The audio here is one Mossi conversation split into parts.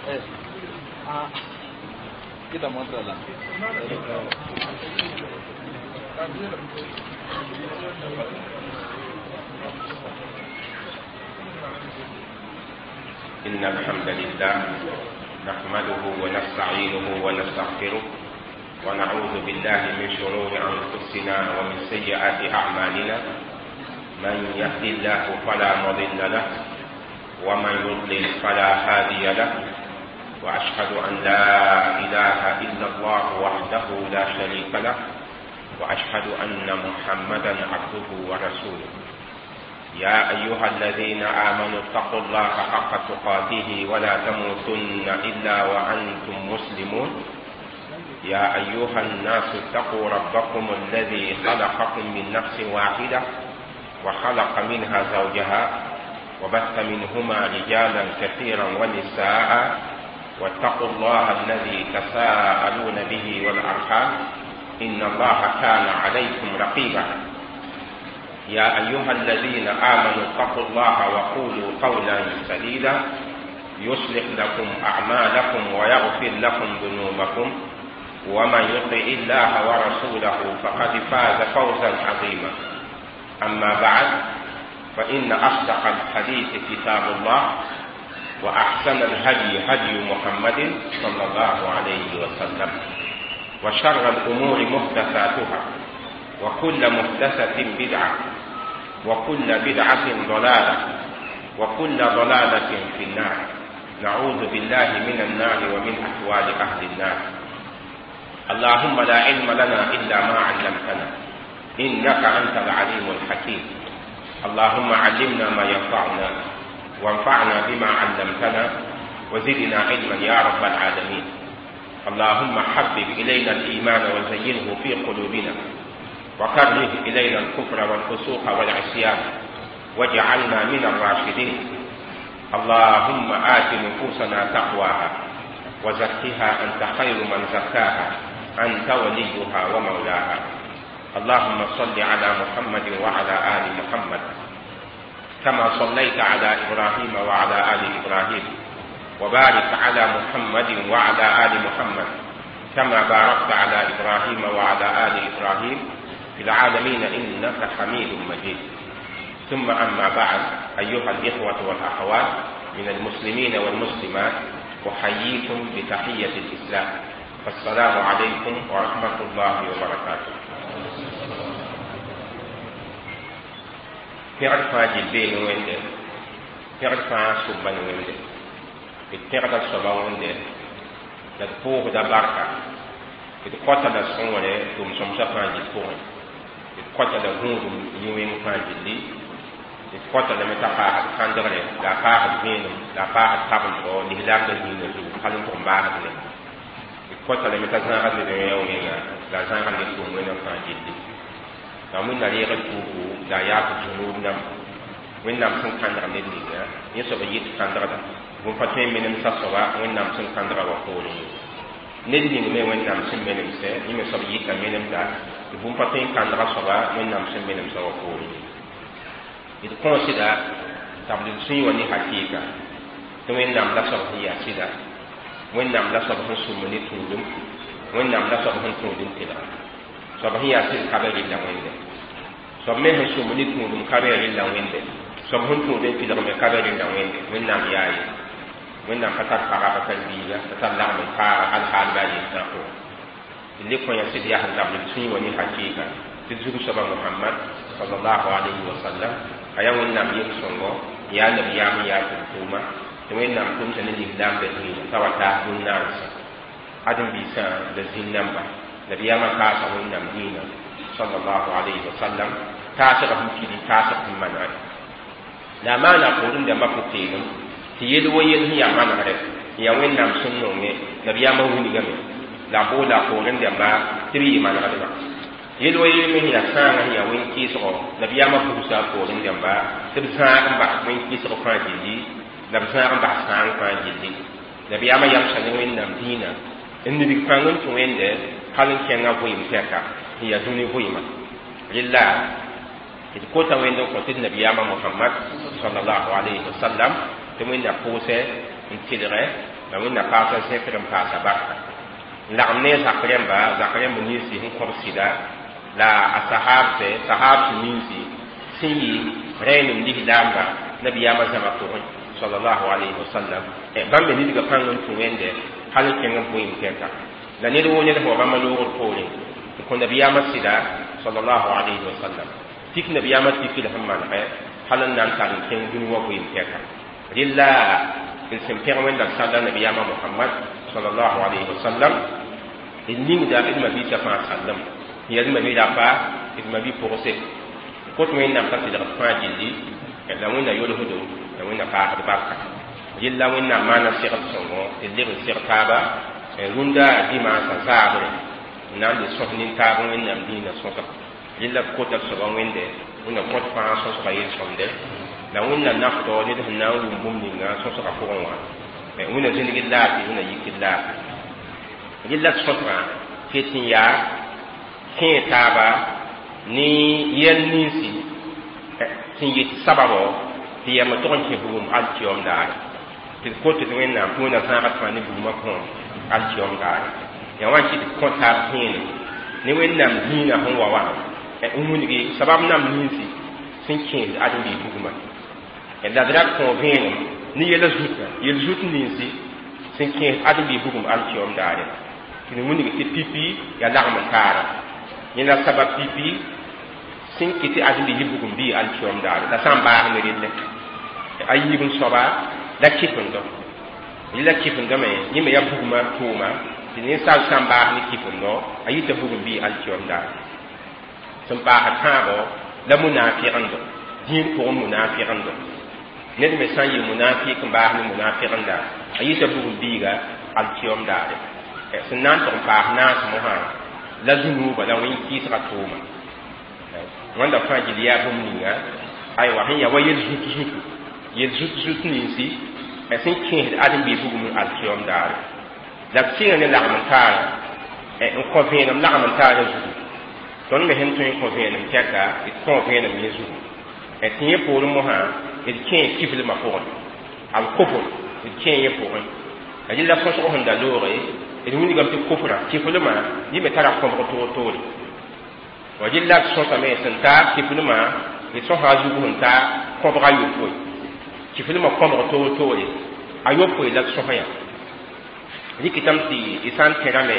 Ah, quita montre là. إن الحمد لله نحمده ونستعينه ونستغفره ونعوذ بالله من شرور أنفسنا ومن سيئات أعمالنا. من يهدي الله فلا مضل له ومن يضلل فلا هادي له، وأشهد أن لا إله إلا الله وحده لا شريك له، وأشهد أن محمدا عبده ورسوله. يا أيها الذين آمنوا اتقوا الله حق تقاته ولا تموتن إلا وأنتم مسلمون. يا أيها الناس اتقوا ربكم الذي خلقكم من نفس واحدة وخلق منها زوجها وبث منهما رجالا كثيرا ونساء، واتقوا الله الذي تساءلون به والأرحام إن الله كان عليكم رقيبا. يا أيها الذين آمنوا اتقوا الله وقولوا قولا سديدا يصلح لكم أعمالكم ويغفر لكم ذنوبكم، ومن يطع الله ورسوله فقد فاز فوزا عظيما. أما بعد، فإن أصدق الحديث كتاب الله، وأحسن الهدي هدي محمد صلى الله عليه وسلم، وشر الأمور محدثاتها، وكل محدثة بدعة، وكل بدعة ضلالة، وكل ضلالة في النار. نعوذ بالله من النار ومن أحوال أهل النار. اللهم لا علم لنا إلا ما علمتنا إنك أنت العليم الحكيم. اللهم علمنا ما ينفعنا، وانفعنا بما علمتنا، وزدنا علما يا رب العالمين. اللهم حبب إلينا الإيمان وزينه في قلوبنا، وكره إلينا الكفر والفسوق والعصيان، واجعلنا من الراشدين. اللهم آت نفوسنا تقواها وزكها أنت خير من زكاها، أنت وليها ومولاها. اللهم صل على محمد وعلى آل محمد كما صليت على إبراهيم وعلى آل إبراهيم، وبارك على محمد وعلى آل محمد كما باركت على إبراهيم وعلى آل إبراهيم في العالمين إنك حميد مجيد. ثم أما بعد، أيها الإخوة والأخوات من المسلمين والمسلمات، أحييكم بتحية الإسلام، فالسلام عليكم ورحمة الله وبركاته. Pẽgd fãa gill bee ne Wẽnde, pẽgd fãa sʋbba ne Wẽnde, d pẽgda soaba Wẽnde, la d pʋʋsda barka, d kõta la sõngre tʋʋm-sõmsã fãa gill pʋgẽ, d kõta la gũudum yũ-wẽng fãa gilli, d kõta lame t'a paasd kãndgre, la a paasd vẽenem, la a paasd tabendgo lislaamdã zĩigã zugu hal n tʋg n baasd ne. D kõta lame t'a zãagd ned wẽa wẽnga, la a zãagd ned tʋʋm wẽnnaam fãa gilli. La wẽnna reeg d tuugu la a yaak zũnuub namba. Wẽnnaam sẽn kãndg ned ninga, yẽ soab n yɩt kãndgda. Bũmb pa tõe n menemsa soaba Wẽnnaam sẽn kãndga wa poorẽ ye. Ned ning me Wẽnnaam sẽn menemsɛ, yẽ me soab yɩta menemda, tɩ bũmb pa tõe n kãndga soaba Wẽnnaam sẽn menemsa wa poorẽ ye. D kõosda tabl d sũyẽ wã ne hakɩɩka, tɩ Wẽnnaam la soab sẽn yaa sɩda, Wẽnnaam la soab sẽn sũmb ne tũudum, Wẽnnaam la soab sẽn tũud n tɩlga. Soab sẽn yaa sɩd ka be rɩlla Wẽnde. Soab me sẽn sũmb ne tũudum ka be rɩlla Wẽnde. Soab sẽn tũud n tɩlg me ka be rɩlla Wẽnde. Wẽnnaam yaa ye. Wẽnnaam pa tar paga, pa tar biiga, pa tar lagm n paaga hal haal bɩ a yel-sã pʋgẽ. D le kõ yã sɩd yaa sẽn tabl d sũyẽ wã ne hakɩɩka tɩ zug soaba Mohamad sallallahu alayhi wa sallam a yaa Wẽnnaam yel-sõngo, yaa nabiyaam n yaa tʋʋm-tʋʋma, tɩ Wẽnnaam tʋmsa ne lislaambã zĩigã t'a wa taas dũn-naansã. Ãdem-biisã la zĩn-namba nabiyaamã kaasa Wẽnnaam dĩinã sallallahu alayhi wa sallam taasg sẽn pidi, taasg sẽn manegre. La a maana poorẽ dãmbã pʋ-peelem tɩ yel wo yel sẽn yaa manegre n yaa Wẽnnaam sẽn nonge nabiyaamã wilgame, la a boola a poorẽ dãmba tɩ b yɩ manegdba. Yel wo yel me sẽn yaa sãangã sẽn yaa wẽn-kɩɩsgo nabiyaamã bugsã a poorẽ dãmba tɩ b zãag n bas wẽn-kɩɩsg fãa gilli, la b zãag n bas sãang fãa gilli. Nabiyaamã yamsa ne Wẽnnaam dĩinã n nibg pãng n tũ Wẽnde hal n kẽngã vɩɩm tɛka sẽn yaa dũni vɩɩmã. Rɩla d kota Wẽnd n kõ tɩ d nabiyaamã Mohamad sallallahu alayhi wa sallam tɩ Wẽnna pʋʋsɛ n tɩlgɛ La wẽnna paasa zẽkr n paasa barka n lagem ne zak rẽmba, zak rẽmb ninsi sẽn kõb sɩda la a sahabse, sahabs ninsi sẽn yɩ rẽenem lislaamba nabiyaamã zãma pʋgẽ sallallahu alayhi wa sallam. Bãmb me nidga pãng n tũ wẽnde hal n kẽng n bʋɩɩm tɛka la ned woo ned sẽn wa bãmba loogr poorẽ n kõ nabiyaamã sɩda sallallahu alayhi wa sallam, tik nabiyaamã tikr sẽn manegɛ hal n na n tar n kẽng dũni wã bʋɩɩm tɛka. Rɩla d sẽn pẽg wẽnnaam salla nabiyaamã Mohamad sallallahu alayhi wa sallam, d ningda d mabiisã fãa sallem n yaa d mabi rapa, d mabi pʋgse kot wẽnnaam t'a tɩlgd fãa gilli la wẽnna yolsdo la wẽnna paasd barka. Rɩla wẽnnaam maana segd sõngo tɩ leb n seg taaba rũndã dimaasã zaabre n na n le sõs nin-taab wẽnnaam dĩinã sõsg. Rɩla d kota d soaba wẽnde wẽnna kõt fãa sõsga yel-sõmde la wẽnna nafdɔ ned sẽn na n wʋm bũmb ninga sõsga pʋgẽ wã, wẽnna zĩndg d laafɩ, wẽnna yik d laafɩ. Rɩla d sõsgã ket n yaa kẽe taaba ne yɛl ninsi sẽn yet sababɔ tɩ yɛm tʋg n kẽ bugum alkiom daare, tɩ d kot tɩ wẽnnaam tɩ wẽnna zãagd fãa ne bugumã kõom alkiom daare. Yaa wã kɩ tɩ kõ taab vẽenem ne wẽnnaam dĩinã sẽn wa wã n wilgi sabab nam ninsi sẽn kẽesd ãdem-biis bugumã, la d ra kõ vẽenem ne yɛla zutã, yel zut ninsi sẽn kẽes ãdem-biis bugum alkiom daare, tɩ d wilg tɩ pipi yaa lagm n taara yẽ la sabab pipi sẽn kɩ tɩ ãdem-biis bugum bɩ alkiom daare la sã n baas ne relle a yiib n soaba la kɩfendo. La kɩfendo me yẽ me yaa bugmã tʋʋma tɩ ninsaal sã n baas ne kɩfendo a yita bugum bɩ alkiom daare. Sẽn paasd tãabo la munafɩgendo, dĩir pʋgẽ munafɩgendo, ned me sã n yɩ munafɩk n baas ne munafɩgenda a yita bugum biiga alkiom daare. Sẽn na n tʋg n paas naas mosã la zũnuuba la wẽn-kɩɩsga tʋʋma wãnda fãa gill yaa bũmb ninga aywa sẽn yaa wa yel zut zutu, yel zut zut ninsi sẽn kẽesd ãdem-biis bugum n alkiom daare. La b sɩnga ne lagm n taara n kõ vẽenem lagm n taara zugu. Tõnd me sẽn tõe n kõ vẽenem tɛka, d kõ vẽenem yẽ zugu tɩ yẽ poorẽ mosã d kẽe kiflmã pʋgẽ, al-kufr d kẽe yẽ pʋgẽ. La rɩla sõsg sẽn da looge d wilgame tɩ kufrã kiflmã yẽ me tara kõbg toor-toore wa. Rɩla d sõsame sẽn ta kiflmã, d sõsa a zugu sẽn ta kõbg a yopoe, kiflmã kõbg toor-toore a yopoe la d sõs yã. Rɩkɩtame tɩ d sã n tẽrame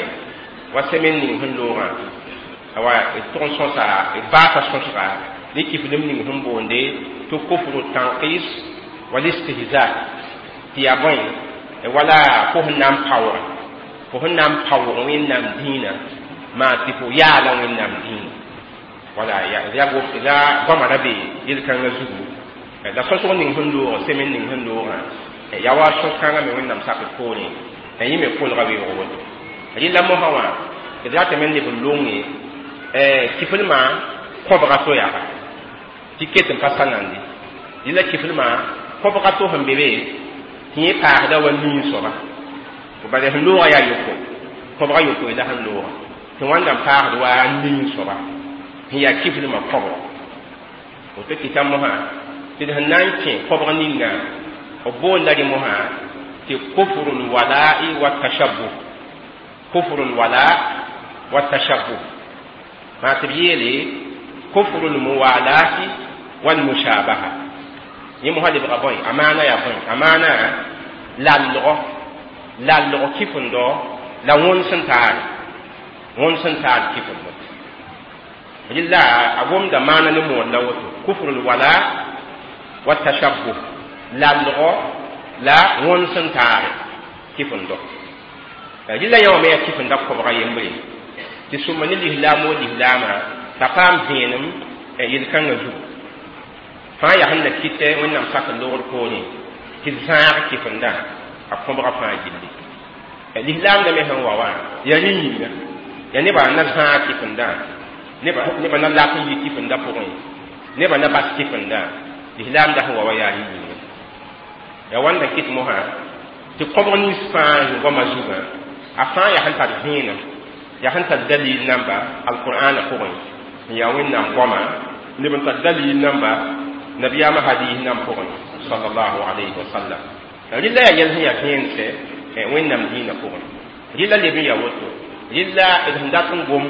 wa semaine ning sẽn loogã wa d tʋg n sõsa, d baasa sõsga ne kiflem ning sẽn boonde tɩ kufru tanqis wal istihza, tɩ yaa bõe wala fo sẽn na n paoog, fo sẽn na n paoog wẽnnaam dĩinã maa tɩ fo yaala wẽnnaam dĩinã wala la goamã ra be yel-kãngã zugu. La sõsg ning sẽn loog semaine ning sẽn loogã yaa wa sõs-kãngã me wẽnnaam sakd poorẽ yẽ me kolga weoog woto. Rɩla mosã wã d ratame n leb n longe kiflmã kõbga to yaa tɩ ket n pa sa nande. Rɩla kiflmã kõbga to sẽn be be tɩ yẽ paasda wa nin soaba bala sẽn loogã yaa yopoe, kõbga yopoe la sẽn loogã tɩ wãnda n paasd wa nin soaba sẽn yaa kiflmã kõbg woto. Kɩta mosã tɩ d sẽn na n kẽ kõbg ninga b boonda rẽ mosã tɩ kufru lwala'i wa tashabbuh, kufru lwala wa tashabbuh maa tɩ b yeele kufru lmuwalati walmushabaha. Yẽ mosã lebga bõe a maana yaa bõe a maana lallgɔ, lallg kifendo la wõns sẽn taare, wõns sẽn taar kifendo. Rɩla a gomda maana ne mood la woto kufru lwala wa tashabbuh, lallgɔ la wõns sẽn taare kifendo. Rɩla yã wã me yaa kifenda kobga yembre tɩ sũma ne lislaam o lislaamã t'a paam vẽenem yel-kãngã zugu fãa yaa sẽn na kɩtɛ wẽnnaam sak n loogr poorẽ tɩ d zãag kifendã a kõbga fãa gilli. Lislaamdã me sẽn wa wã yaa rẽ yĩnga yaa nebã na zãag kifendã, nebã na lak n yi kifendã pʋgẽ, nebã na bas kifendã. Lislaamdã sẽn wa wã yaa rẽ yĩnga yaa wãnda kɩt mosã tɩ kõbg nins fãa zĩ goamã zugã a fãa yaa sẽn tar vẽenem, yaa sẽn tar dalil namba alqur'ana pʋgẽ n yaa wẽnnaam goama neb n tar dalil namba nabiyaamã hadis nan pʋgẽ sallallahu alayhi wa sallam. Rɩla yaa yɛl sẽn yaa vẽensɛ Wẽnnaam dĩinã pʋgẽ. Rɩla leb n yaa woto, rɩla d sẽn dat n gom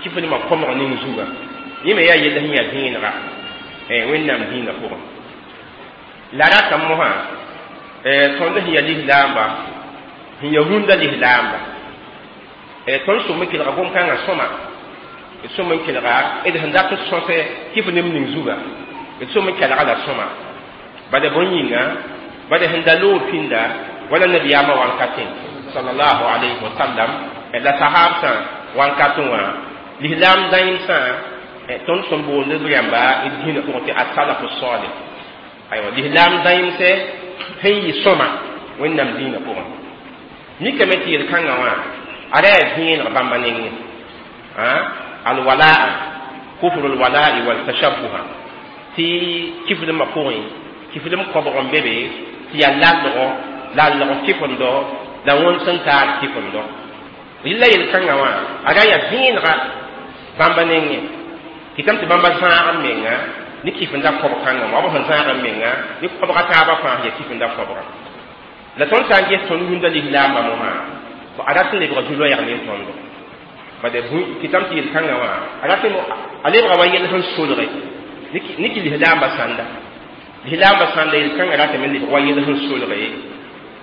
kifdmã kõmg ning zugã, yẽ me yaa yell sẽn yaa vẽenega Wẽnnaam dĩinã pʋgẽ. La ratame mosã tõnd sẽn yaa lislaamba, sẽn yaa rũndã lislaamba, tõnd sʋm n kelga gom-kãngã sõma, d sʋm n kelga d sẽn dat n sõsɛ kifnem ning zugã, d sʋm n kelga la sõma. Bala bõe yĩnga, bala sẽn da loog pĩnda wala nabiyaamã wankatẽ sallallahu alayhi wa sallam la sahabsã wankatẽ wã, lislaam dãeemsã, tõnd sẽn boond b rãmba d dĩinã pʋgẽ tɩ asalafu salih. Aywa, lislaam dãeemsɛ sẽn yɩ sõma Wẽnnaam dĩinã pʋgẽ, mikame tɩ yel-kãngã wã a ra yaa vẽeneg bãmba nengẽ. Alwalaa, kufr alwalai waltashabuha, tɩ kifdmã pʋgẽ kifdem kõbg n be be tɩ yaa lalgɔ, lalg kifendo la wõnd sẽn taar kifendo. Rɩla yel-kãngã wã a ra yaa vẽenega bãmba nengẽ, kɩtame tɩ bãmba zãag n menga ne kifenda kõb kãngã wã, b sẽn zãag n menga ne kõbga taabã fãa sẽn yaa kifenda kõbga. La tõnd sã n ges tõnd rũndã lislaambã mosã, a rat n lebga zu-loɛɛg ne tõndo. Bala kɩtame tɩ yel-kãngã wã a rat a lebga wa yell sẽn solge ne kɩ lislaambã sãnda, lislaambã sãnda yel-kãngã ratame lebg wa yell sẽn solge,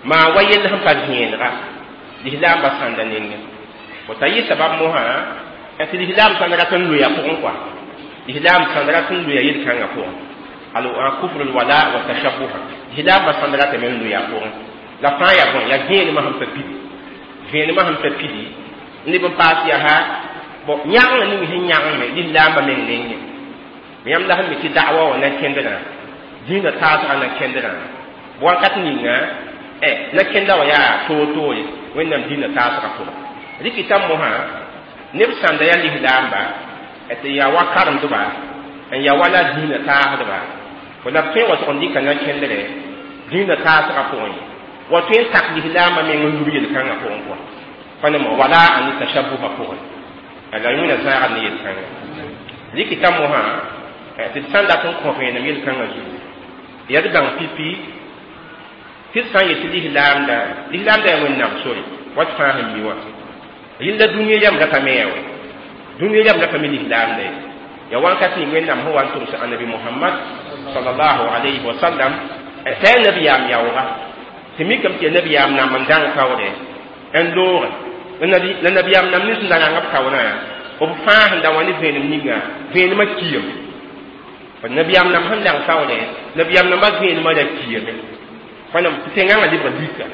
maa wa yell sẽn pa vẽenega lislaambã sãnda nengẽ. Fo t'a yɩ sabab mosã tɩ lislaam sãnd rat n loya pʋgẽ kɔa, lislaam sãnd rat n loya yel-kãngã pʋgẽ, al kufr alwala wa tashabuha, lislaambã sãnd ratame n loya pʋgẽ. La fãa yaa bõe? Yaa vẽenemã sẽn pa pidi, vẽenemã sẽn pa pidi n leb n paas yaa bõ yãgengã ning sẽn yãgengme lislaambã meng nengẽ. Yãmb la sẽn mi tɩ da'wa wã na kẽndrã, dĩinã taasgã na kẽndrã wakat ninga, na kẽnda wã yaa toor-toore Wẽnnaam dĩinã taasgã pʋgẽ. Rɩkɩta mosã neb sãnda yaa lislaamba tɩ yaa wa karemdba n yaa wala dĩinã taasdba fo, la b tõe n wa tʋg n dɩka na kẽndrɛ dĩinã taasgã pʋgẽ, wa tõe n tak lislaambã meng n lub yel-kãngã pʋgẽ kɔa, pa ne wala a ne tashabuha pʋgẽ, la yõna zãagd ne yel-kãngã. Rɩkɩta mosã tɩ d sãn dat n kõ vẽenem yel-kãngã zugu, yaa d bãng pipi tɩ d sã n yet tɩ lislaamda, lislaamda yaa Wẽnnaam sore wat fãa sẽn mi wã. Rɩla dũniyã yam rata me yaa wɛ, dũniyã yam rata me lislaamda ye, yaa wãnkat ning Wẽnnaam sẽn wa n tʋms annabi Mohamad sallallahu alayhi wa sallam t'a yaa nabiyaam yaooga, tɩ mikame tɩ yaa nabiyaam nam n dãng kaoodɛ n looge la nabiyaam nam nins n da rãng b kaoorã, b fãa sẽn da wã ne vẽenem ninga vẽenemã kiame. Nabiyaam nam sẽn dãng kaoodɛ, nabiyaam nambã vẽenemã ra kiame, pa tɩ tẽngãngã lebga lika,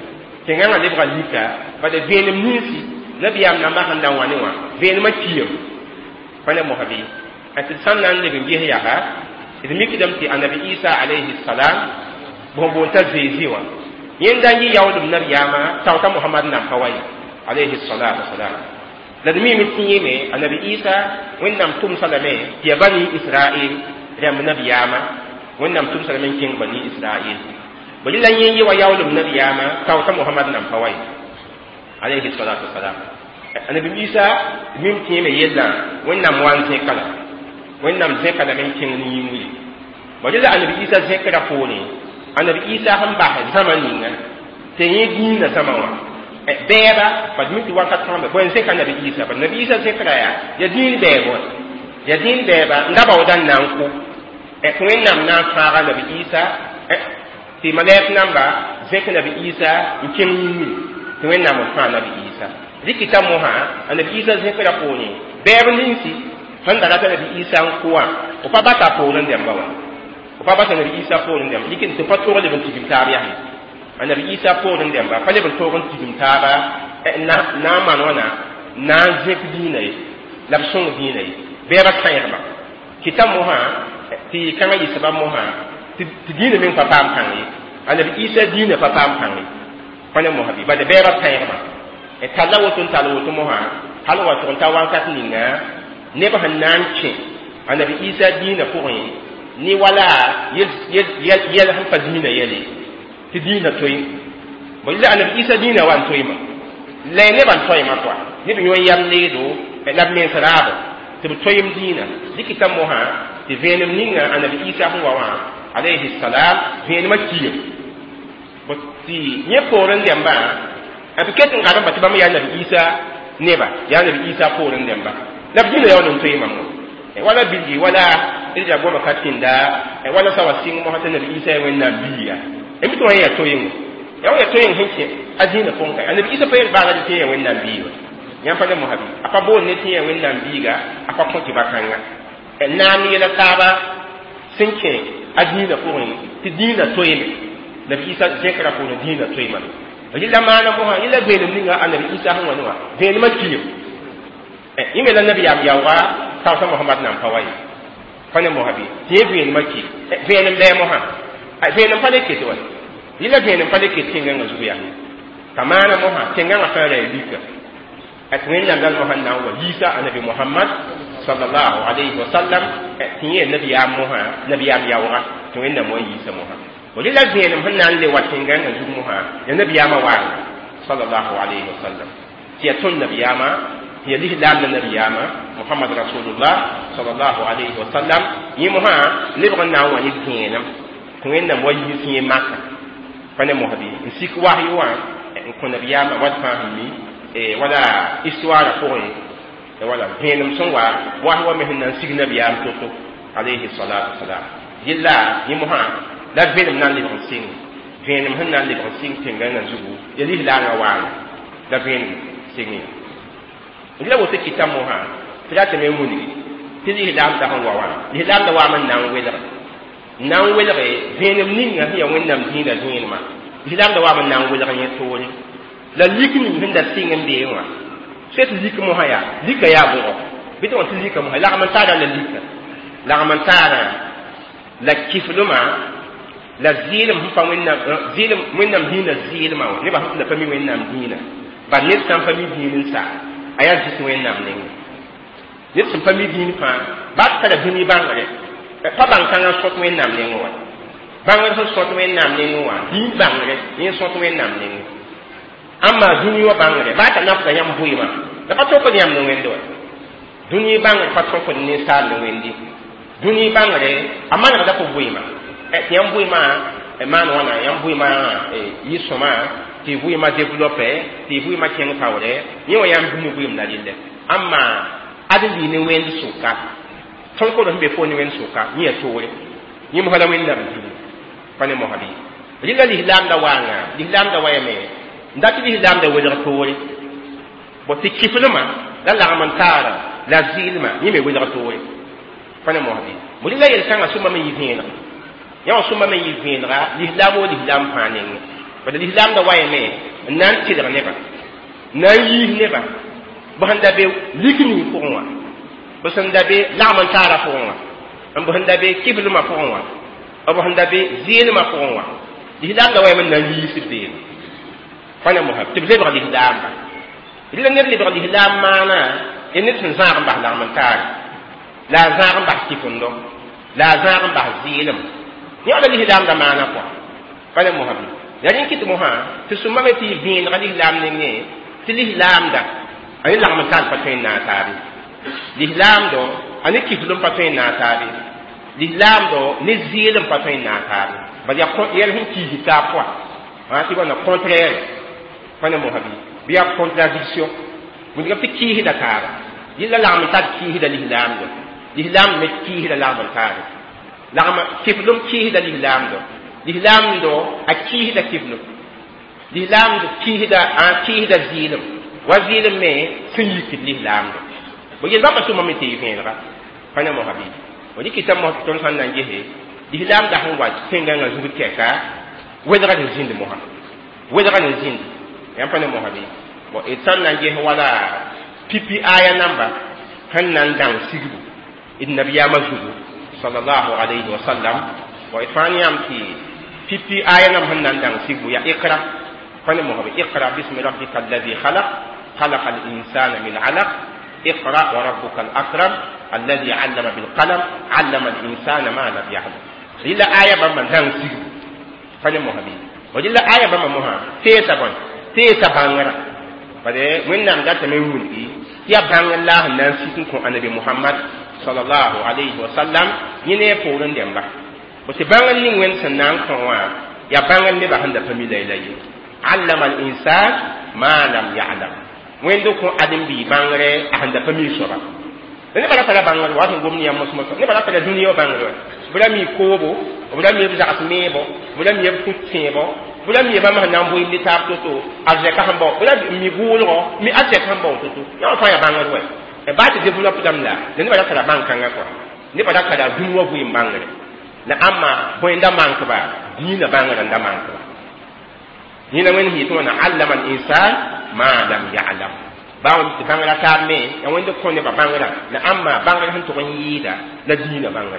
tẽngãngã lebga lika, bala vẽenem ninsi nabiyaam nambã sẽn da wã ne wã vẽenemã kiame, pa ne mosã bɩ tɩ d sãn na n leb n ges yaa d mikdame tɩ annabi Isa alayhi salam bõn boon t'a Zezi wã, yẽnda n yɩ yaoolem nabiyaamã taoota Mohamad nam pa wa ye alayhi salatu wasalam. La d miime tɩ yẽme annabi Isa Wẽnnaam tʋmsa lame tɩ yaa Bani Israel rãmb nabiyaamã, Wẽnnaam tʋmsa lame n kẽng Bani Israel. Bõ la yẽ ye wa yaoolem nabiyaamã taoota Mohamad nam pa wa ye alayhi salatu wasalam. Annabi Isa mim tɩ yẽme yellã Wẽnnaam wa n zẽka la Wẽnnaam zẽka lame n kẽng ne yĩngr ye. Bõ la annabi Isa zẽkra poorẽ, annabi Isa sẽn bas zãma ninga tɩ yẽ dĩinã zãma wã bɛɛba pa d mi tɩ wakat fãa bõe n zẽka annabi Isa, ba nabi Isa zẽkra yaa yaa dĩin bɛɛb wã, yaa dĩin bɛɛba n da baooda n na n kʋ tɩ Wẽnnaam na n fãaga nabi Isa, tɩ malɛk namba zẽk nabi Isa n kẽng yĩngri tɩ Wẽnnaam n fãa nabi Isa. Rɩkɩta mosã annabi Isa zẽkra poorẽ, bɛɛb ninsi sẽn da rata nabi Isa n kʋ wã, b pa bata poorẽ dẽmba wã, b pa basa nabi Isa poorẽ dẽmba, dɩk tɩ pa tog leb n tigim taab yaa annabi Isa poorẽ dẽmba pa leb n tog n tigim taaba na n maan wãna na n zẽk dĩinã ye la b sõng dĩinã ye bɛɛba kãegma. Kɩta mosã tɩ kãngã yɩ sabab mosã tɩ dĩinã meng pa paam pãng ye, annabi Isa dĩinã pa paam pãng ye, pa ne mosã bɩ bala bɛɛba kãegma talla woto n tall woto mosã hal wa tʋg n ta wãnkat ninga neb sẽn na n kẽ annabi Isa dĩinã pʋgẽ ne wala yɛl sẽn pa dĩinã yɛle tɩ dĩinã toe bõ la annabi Isa dĩinã wa n toeema la nebã n toeema kɔa neb yõ yam leedo la b mens raabo tɩ b toeem dĩinã. Dɩkɩta mosã tɩ vẽenem ninga annabi Isa sẽn wa wã alayhi salam vẽenemã kiim tɩ yẽ poorẽ dẽmbã B ket n garem tɩ bãmb yaa Nabi Isa neba, yaa Nabi Isa poorẽ dẽmba la b dĩnã yaool n toeemame wã. Wala bilgi wala d yaa goamã ka tĩnda wala sa wa sɩng mosã tɩ Nabi Isa yaa Wẽnnaam biiga. Mi tɩ wã yaa toeengo, yaa wã yaa toeeng sẽn kẽ a zĩinã pʋgẽ ka. A Nabi Isa pa yel baaga tɩ yaa Wẽnnaam biiga. Yãmb pa ne mosã bɩ a pa boond ne tɩ yaa Wẽnnaam biiga, a pa kõ tɩ ba-kãnga naam yɛla taaba sẽn kẽ a dĩinã pʋgẽ tɩ dĩinã toeeme. Nabi Isa zẽkra poorẽ dĩinã toeemame. Rɩla maana mosã yẽla vẽenem ninga a Nabi Isa sẽn wa ne wã vẽenemã kiim yẽ me la nabiyaam yaooga taoosã Mohamad nan pa wa ye. Pa ne mosã bɩ tɩ yẽ vẽenemã ki vẽenem lɛɛ mosã vẽenem pa le ket wa yẽla vẽenem pa le ket tẽngãngã zug yaa t'a maana mosã tẽngãngã fãa ra ya lika tɩ Wẽnnaam dal mosã n na n wa yiisa a Nabi Mohamad sallallahu alayhi wa sallam tɩ yẽ nabiyaam mosã nabiyaam yaooga tɩ Wẽnnaam wa yiisa mosã. Rɩla vẽenem sẽn na n le wa tẽngãngã zug mosã ya nabiyaamã waanga sallallahu alayhi wa sallam tɩ ya tõnd nabiyaamã tɩ ya lislaam la nabiyaamã Mohamad rasulullah sallallahu alayhi wa sallam. Yẽ mosã lebg n na n wa ne vẽenem tɩ Wẽnnaam wa yiis yẽ maka pa ne mosã bɩ n sik wasy wã n kõ nabiyaamã wat fãa sẽn mi wala histoire pʋgẽ wala vẽenem sẽn wa wasy wa me sẽn na n sig nabiyaam to-to alayhi salatu wasalam. Yella yẽ mosã la vẽenem na n lebg n sɩng vẽenem sẽn na n lebg n sɩng tẽngãngã zugu ya lislaangã waana la vẽenem sɩng ya. La woto kɩta mosã tɩ ratame n wilgi tɩ lislaam da sẽn wa wã lislaam da waam n na n welge n na n welge vẽenem ninga sẽn yaa Wẽnnaam dĩinã vẽenemã. Lislaam da waam n na n welg yẽ toore la lik ning sẽn da sɩng n beẽ wã soe tɩ lik mosã yaa lika yaa bʋgɔ bɩ tɩ wã tɩ lika mosã lagm n taara la lika lagm n taara la kiflmã la zɩɩlem sẽn pa Wẽnnaam zɩɩlem Wẽnnaam dĩinã zɩɩlmã wã nebã sẽn tɩ la pa mi Wẽnnaam dĩinã bal ned sã n pa mi dĩin n sa a yaa zɩt Wẽnnaam nengẽ. Ned sẽn pa mi dĩin fãa baa tara dũni bãngre pa bãng kãngã sõt Wẽnnaam nengẽ wã bãngr sẽn sõt Wẽnnaam nengẽ wã dĩin bãngre yẽ sõt Wẽnnaam nengẽ. Ãmba dũni wã bãngre baa t'a nafda yãmb bʋɩɩmã la pa tõkd yãmb ne wẽnde wã. Dũni bãngre pa tõkd ninsaal ne wẽnde. Dũni bãngre a manegda fo bʋɩɩmã tɩ yãmb bʋɩɩmã maan wãna yãmb bʋɩɩmã yɩ sõma tɩ vʋɩɩmã développe tɩ vʋɩɩmã kẽng taoore yẽ wã yãmb dũni vʋɩɩm la rɩllɛ. Ãmba ad n lɩ ne wẽnd sʋka tõnkd sẽn be fo ne wẽnd sʋka yẽ yaa toore yẽ mosã la Wẽnnaam dĩinã pa ne mosã bɩ rɩla lislaam da waanga lislaam da wayame n dat tɩ lislaam da welg toore bõ tɩ kiflmã la lagm n taara la zɩɩlmã yẽ me welg toore pa ne mosã bɩ bõ rɩla yel-kãngã sũmba me yɩ vẽeneg yã wã sũmba me yɩ vẽenega lislaam wo lislaam fãa nengẽ. Bala lislaam da wayame n na n tɩlg nebã n na n yiis nebã b sẽn da be lik ning pʋgẽ wã b sẽn da be lagm n taara pʋgẽ wã n b sẽn da be kiflmã pʋgẽ wã b sẽn da be zɩɩlmã pʋgẽ wã lislaam da wayame n na n yiis b beene pa ne mosã tɩ b lebg lislaamba. Rɩla ned lebg lislaam maana ya ned sẽn zãag n bas lagm n taare la a zãag n bas kifendo la a zãag n bas zɩɩlem yẽ wã la lislaam da maana pʋa pa ne mosã bɩ la rẽ kɩt mosã tɩ sũmba me tɩ yɩ vẽenega lislaam nengẽ tɩ lislaamda a ne lagm n taar pa tõe n naag taabe lislaamdo a ne kiflem pa tõe n naag taabe lislaamdo ne zɩɩlem pa tõe n naag taabe bal yaa yɛl sẽn kiisi taab pʋa tɩ wãna contraire pa ne mosã bɩ bɩ yaa contradiction wilgame tɩ kiisda taaba yella lagm n tar kiisda lislaamdo lislaam me kiisda lagm n taare lagm kiflem kiisda lislaamdo lislaamdo a kiisda kiflem lislaamdo kiisda a kiisda zɩɩlem wa zɩɩlem me sẽn yikd lislaamdo bõ yel bãmba sũma me tɩ yɩ vẽenega pa ne mosã bɩ fo dɩkɩta mos tɩ tõnd sã n na n gese lislaam da sẽn wa tẽngãngã zug tɛka welgr n zĩnd mosã welgr n zĩnd yãmb pa ne mosã bɩ bõ d sã n na n ges wala pipi aya namba sẽn na n dãng sigbu d nabiyaamã zugu sallallahu alayhi wa sallam bõ d fãa ne yãmb tɩ pipi aya nam sẽn na n dãng sigbu yaa iqra pa ne mosã bɩ iqra bismi rabbika alladhi khalaq khalaqa al-insana min alaq اقرأ وربك الأكرم الذي علم بالقلم علم الإنسان ما لم يعلم. إلا آية بما دان سيغ فني مهبي وجل آية بما مها تيسا بان تيسا بانغرا فدي وين نام دات مي ولي يا بان الله نان سيكون كون النبي محمد صلى الله عليه وسلم يني فورن ديمبا بس بان نين وين سنان كون يا بان ني بان دا فامي لاي لاي علم الإنسان ma lam ya'lam. Wẽnd kõ ãdem-biig bãngre a sẽn da pa mi soaba. La nebã ra tara bãngr wa sẽn gom ne yãmb mosmosã, nebã ra tara dũniyã wã bãngr wã. B ra mi koobo, b ra mi b zags meebo, b ra mi b kut tẽebo, b ra mi bãmb sẽn na n bʋɩɩm ne taab to-to, arzɛka sẽn bao, b ra mi gʋʋlgɔ, mi arzɛk sẽn bao to-to. Yã wã fãa yaa bãngr wɛ. Baa tɩ développe dãmb la, la nebã ra tara bãn-kãngã kɔa. Nebã ra tara dũni wã vɩɩm bãngre. La ãmba bõe n da mank-ba? Dĩinã bãngrã n da mank-ba. Yẽna Wẽnd sẽn yetɩ wãna allama al-insan ma lam ya'lam. Baa tɩ bãngrã taab me, yaa Wẽnd kõ nebã bãngrã, la ãmba bãngr sẽn tʋg n yɩɩda la dĩinã bãngrã.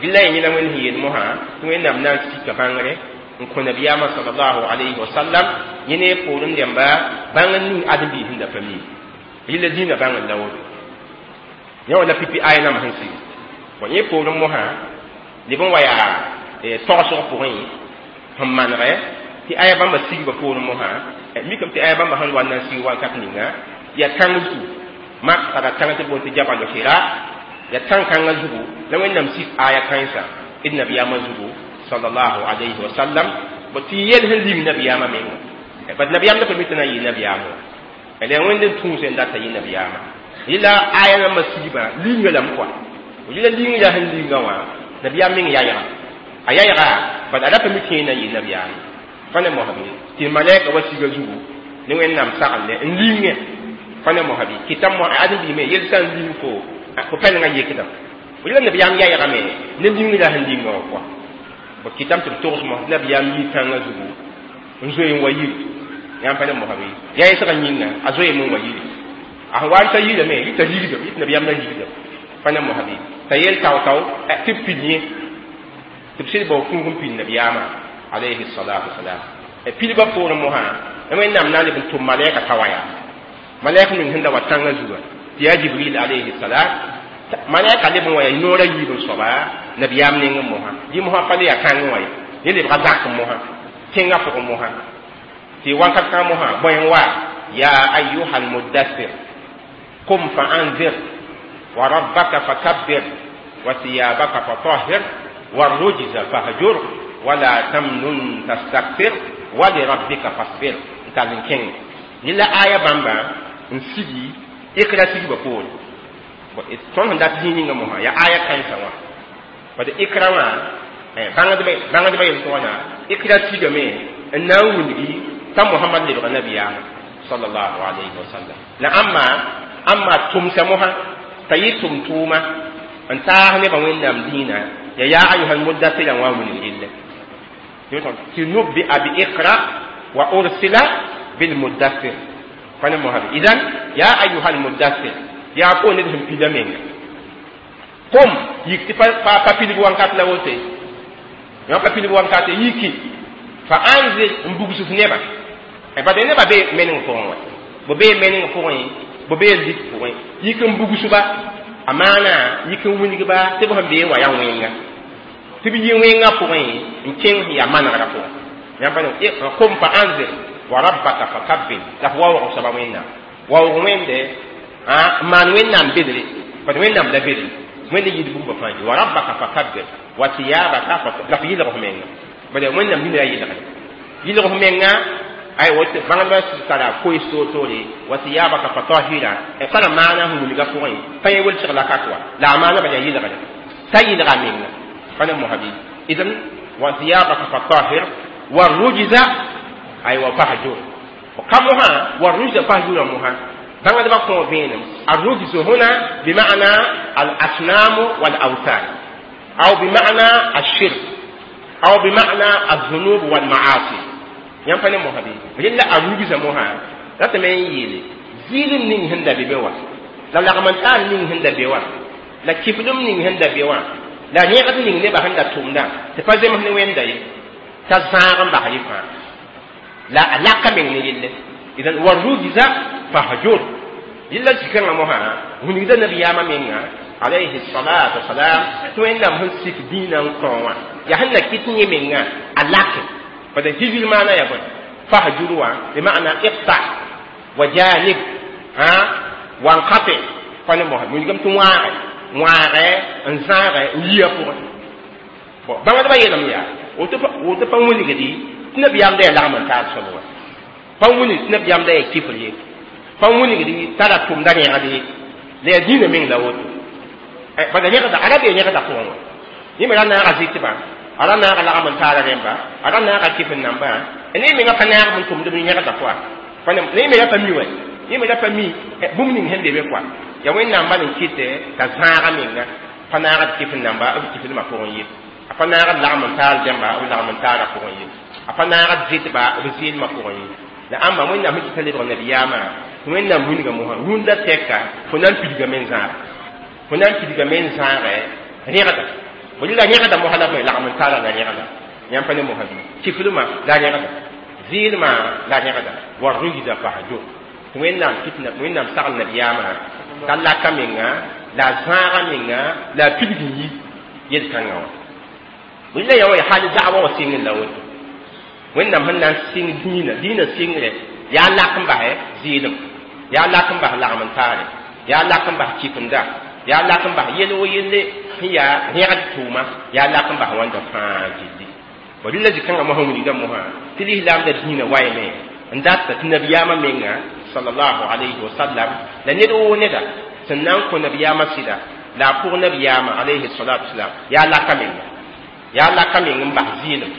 Rɩla yẽna Wẽnd sẽn yeel mosã tɩ Wẽnnaam na n sika bãngre n kõ nabiyaamã sallallahu alayhi wa sallam, yẽ ne poorẽ dẽmba bãngr ning ãdem-biis sẽn da pa mi. Rɩla dĩinã bãngr la woto. Yã wã la pipi aya nambã sẽn sigi. Bõ yẽ poorẽ mosã leb n wa yaa togsg pʋgẽ sẽn manegɛ tɩ aya bãmba sigba poorẽ mosã, mikame tɩ aya bãmba sẽn wa n na n sig wakat ninga yaa tãng zugu mak tara tãng tɩ boond tɩ Jabal Hira, yaa tãn-kãngã zugu la Wẽnnaam sik aya kãensa d nabiyaamã zugu sallallahu alayhi wa sallam. Bõ tɩ yel sẽn ling nabiyaamã menga, bad nabiyaam la pa mi tɩ na n yɩ nabiyaam wã, la yaa Wẽnd n tũus n data yɩ nabiyaamã. Rɩla aya nambã sigba linga lame kɔa, rɩla linga sẽn linga wã nabiyaam meng yayga a yayga, bad a ra pa mi tɩ na n yɩ nabiyaamã. Pa ne mosabi tɩ malɛka wa siga zugu ne Wẽnnaam saglẽ n lingẽ. Pa ne mosabi kɩta mo ãdem-biime yel sã n ling fo fo pɛlengã yekdame. Rɩla nabiyaam yaygame ne lingrã sẽn linga wã kɔa. B kɩtame tɩ b togs mos nabiyaam yi tãngã zugu n zoe n wa yiri. Yãmb pa ne mosabi yaa yɛsgã yĩnga a zoeeme n wa yiri, a sẽn wa n ta yirame yɩ t'a ligdem, yɩ tɩ nabiyaam la ligdem. Pa ne mosabi t'a yel tao-tao tɩ b pil yẽ, tɩ b sɩd bao kũug n pil nabiyaamã alayhi salatu wasalam. Pilgã poorẽ mosã Wẽnnaam na n leb n tʋm malɛka t'a wa yaa malɛk ning sẽn da wa tãngã zuga tɩ yaa Jibril alayhi salam. Malɛka leb n wa yaa noorã yiib n soaba nabiyaam nengẽ mosã, yɩ mosã pa le yaa kãngẽ wã ye, yẽ lebga zak mosã tẽngã pʋgẽ mosã tɩ wakat kãng mosã bõe n wa ya ayuha almudathir qum fa anzir wa rabbaka fakabbir wa thiyabaka fatahhir warujza fahjur wala tamnun tastakthir wa lirabbika fasbir n tall n kẽng. Yẽla aya bãmba n sigi Ikra sigba poore. Tõnd sẽn dat zĩig ninga mosã yaa aya kãensã wã, bad Ikra wã bãngdbã yel tɩ wãna Ikra sigame n na n wilgi t'a Mohamad lebga nabiyaamã sallallahu alayhi wa sallam. La ãmba tʋmsa mosã t'a yɩ tʋm tʋʋma n taas nebã Wẽnnaam dĩinã ya yaa ayuha almudathira wã wilg relle tɩ nubbi'a bi iqra wa ursila bilmudathir. Pa ne mosabe idan ya ayuha almudathir yaa ko ned sẽn pila menga kom yik tɩ pa pilg wãnkat la wote yã pa pilg wãnkat yiki fa anzir n bugsf nebã. Bad nebã be meneng pʋgẽ wã, b bee meneng pʋgẽ, b bee zik pʋgẽ, yik n bugsba a maana yik n wilgba tɩ b sẽn bee wã yaa wẽnga tɩ b yɩ wẽngã pʋgẽ n kẽng sẽn yaa manegrã pʋgẽ. Yãmb pa kom fa anzir wa rabbaka fakabbir la f waoog soaba Wẽnnaam waoog Wẽnde n maan Wẽnnaam bedre, bad Wẽnnaam la bedre Wẽnd yɩɩd bũmba fãa wa rabbaka fakabbir wa thiyabaka la f yɩlg f menga, bad Wẽnnaam dĩnã yaa yɩlgre yɩlg f menga ay wote bãngdbã tara koes toor-toore wa thiyabaka fatahira tara maana sẽn wilga pʋgẽ pa yẽ welsg la kak wa la a maana bal yaa yɩlgre t'a yɩlga menga. Pa ne mosabi idan wa thiyabaka fatahir wa rujza ay wa fahjur ka mosã wa rujza fahjura mosã bãngdbã kõ vẽenem الرجز هنا بمعنى الأصنام والأوثان أو بمعنى الشرك أو بمعنى الذنوب والمعاصي. Yãmb pa ne mosã bɩ rella a rugza mosã ratame n yeele zɩɩlem ning sẽn da be be wã la lagm-n-taar ning sẽn da be wã la kɩfdem ning sẽn da be wã la rẽgd ning nebã sẽn da tʋmdã tɩ pa zems ne Wẽnda ye t'a zãag n bas rɩ fãa la a laka meng ne relle idan wa rujza fahjur yella zikãngã mosã wilgda nabiyaamã menga alayhi salatu wasalam tɩ Wẽnnaam sẽn sik dĩinã n kõ wã yaa sẽn na kɩt yẽ menga a lake. Bad hijir maana ya bõe fahjur wã bima'na iqta wa janib ha wanqati pa ne mosã wilgame tɩ wãage wãage n zãage n yia pʋgẽ. Bõ bãngdbã yeelame yaa woto pa wilgdi tɩ nabiyaam da yaa lagm n taab soab wã. Pa wilg tɩ nabiyaam la yaa kifr ye, pa wilgd t'a ra tʋmda rẽgd ye, la yaa dĩinã meng la woto. Bala rẽgda a ra bee rẽgda pʋgẽ wã, yẽ me ra naaga zɩtbã, a ra naaga lagm n taara rẽmba, a ra naaga kɩf n nambã, ne menga pa naag n tʋmd b rẽgda pʋga. Ne me ra pa mi wɛ, yẽ me ra pa mi bũmb ning sẽn be be kɔa. Yaa Wẽnnaam bal n kɩtɛ t'a zãaga menga pa naagd kɩf n namba b kifdmã pʋgẽ ye, a pa naagd lagm n taal dẽmba b lagm n taara pʋgẽ ye, a pa naagd zɩtba b zɩɩlmã pʋgẽ ye. La ãmba Wẽnnaam sẽn kɩta lebg nabiyaamã, Wẽnnaam wilga mosã rũndã tɛka fo na n pidgame n zãaga, fo na n pidgame n zãagɛ rẽgda. Bõe la rẽgda mosã la bõe? Lagm n taara la rẽgda. Yãmb pa ne mosã bɩ kifdmã la rẽgda, zɩɩlmã la rẽgda, wa rugda fahjur. Tɩ Wẽnnaam kɩt Wẽnnaam sagl nabiyaamã t'a laka menga la a zãaga menga la a pidg n yi yel-kãngã wã. Bõe la yã wã hal da'wa wã sɩng la woto. Wẽnnaam sẽn na n sɩng dĩinã, dĩinã sɩngre yaa lak n basɛ zɩɩlem, yaa lak n bas lagm n taare, yaa lak n bas kifenda, yaa lak n bas yel wo yelle sẽn yaa rẽgd tʋʋma, yaa lak n bas wãnda fãa gilli. Bõ rɩla zĩ-kãngã mosã wilgda mosã tɩ lislaamda dĩinã waime n data tɩ nabiyaamã menga sallallahu alayhi wa sallam la ned woo neda sẽn na n kõ nabiyaamã sɩda la a pʋg nabiyaamã alayhi salatu wasalam yaa laka menga, yaa laka meng n bas zɩɩlem,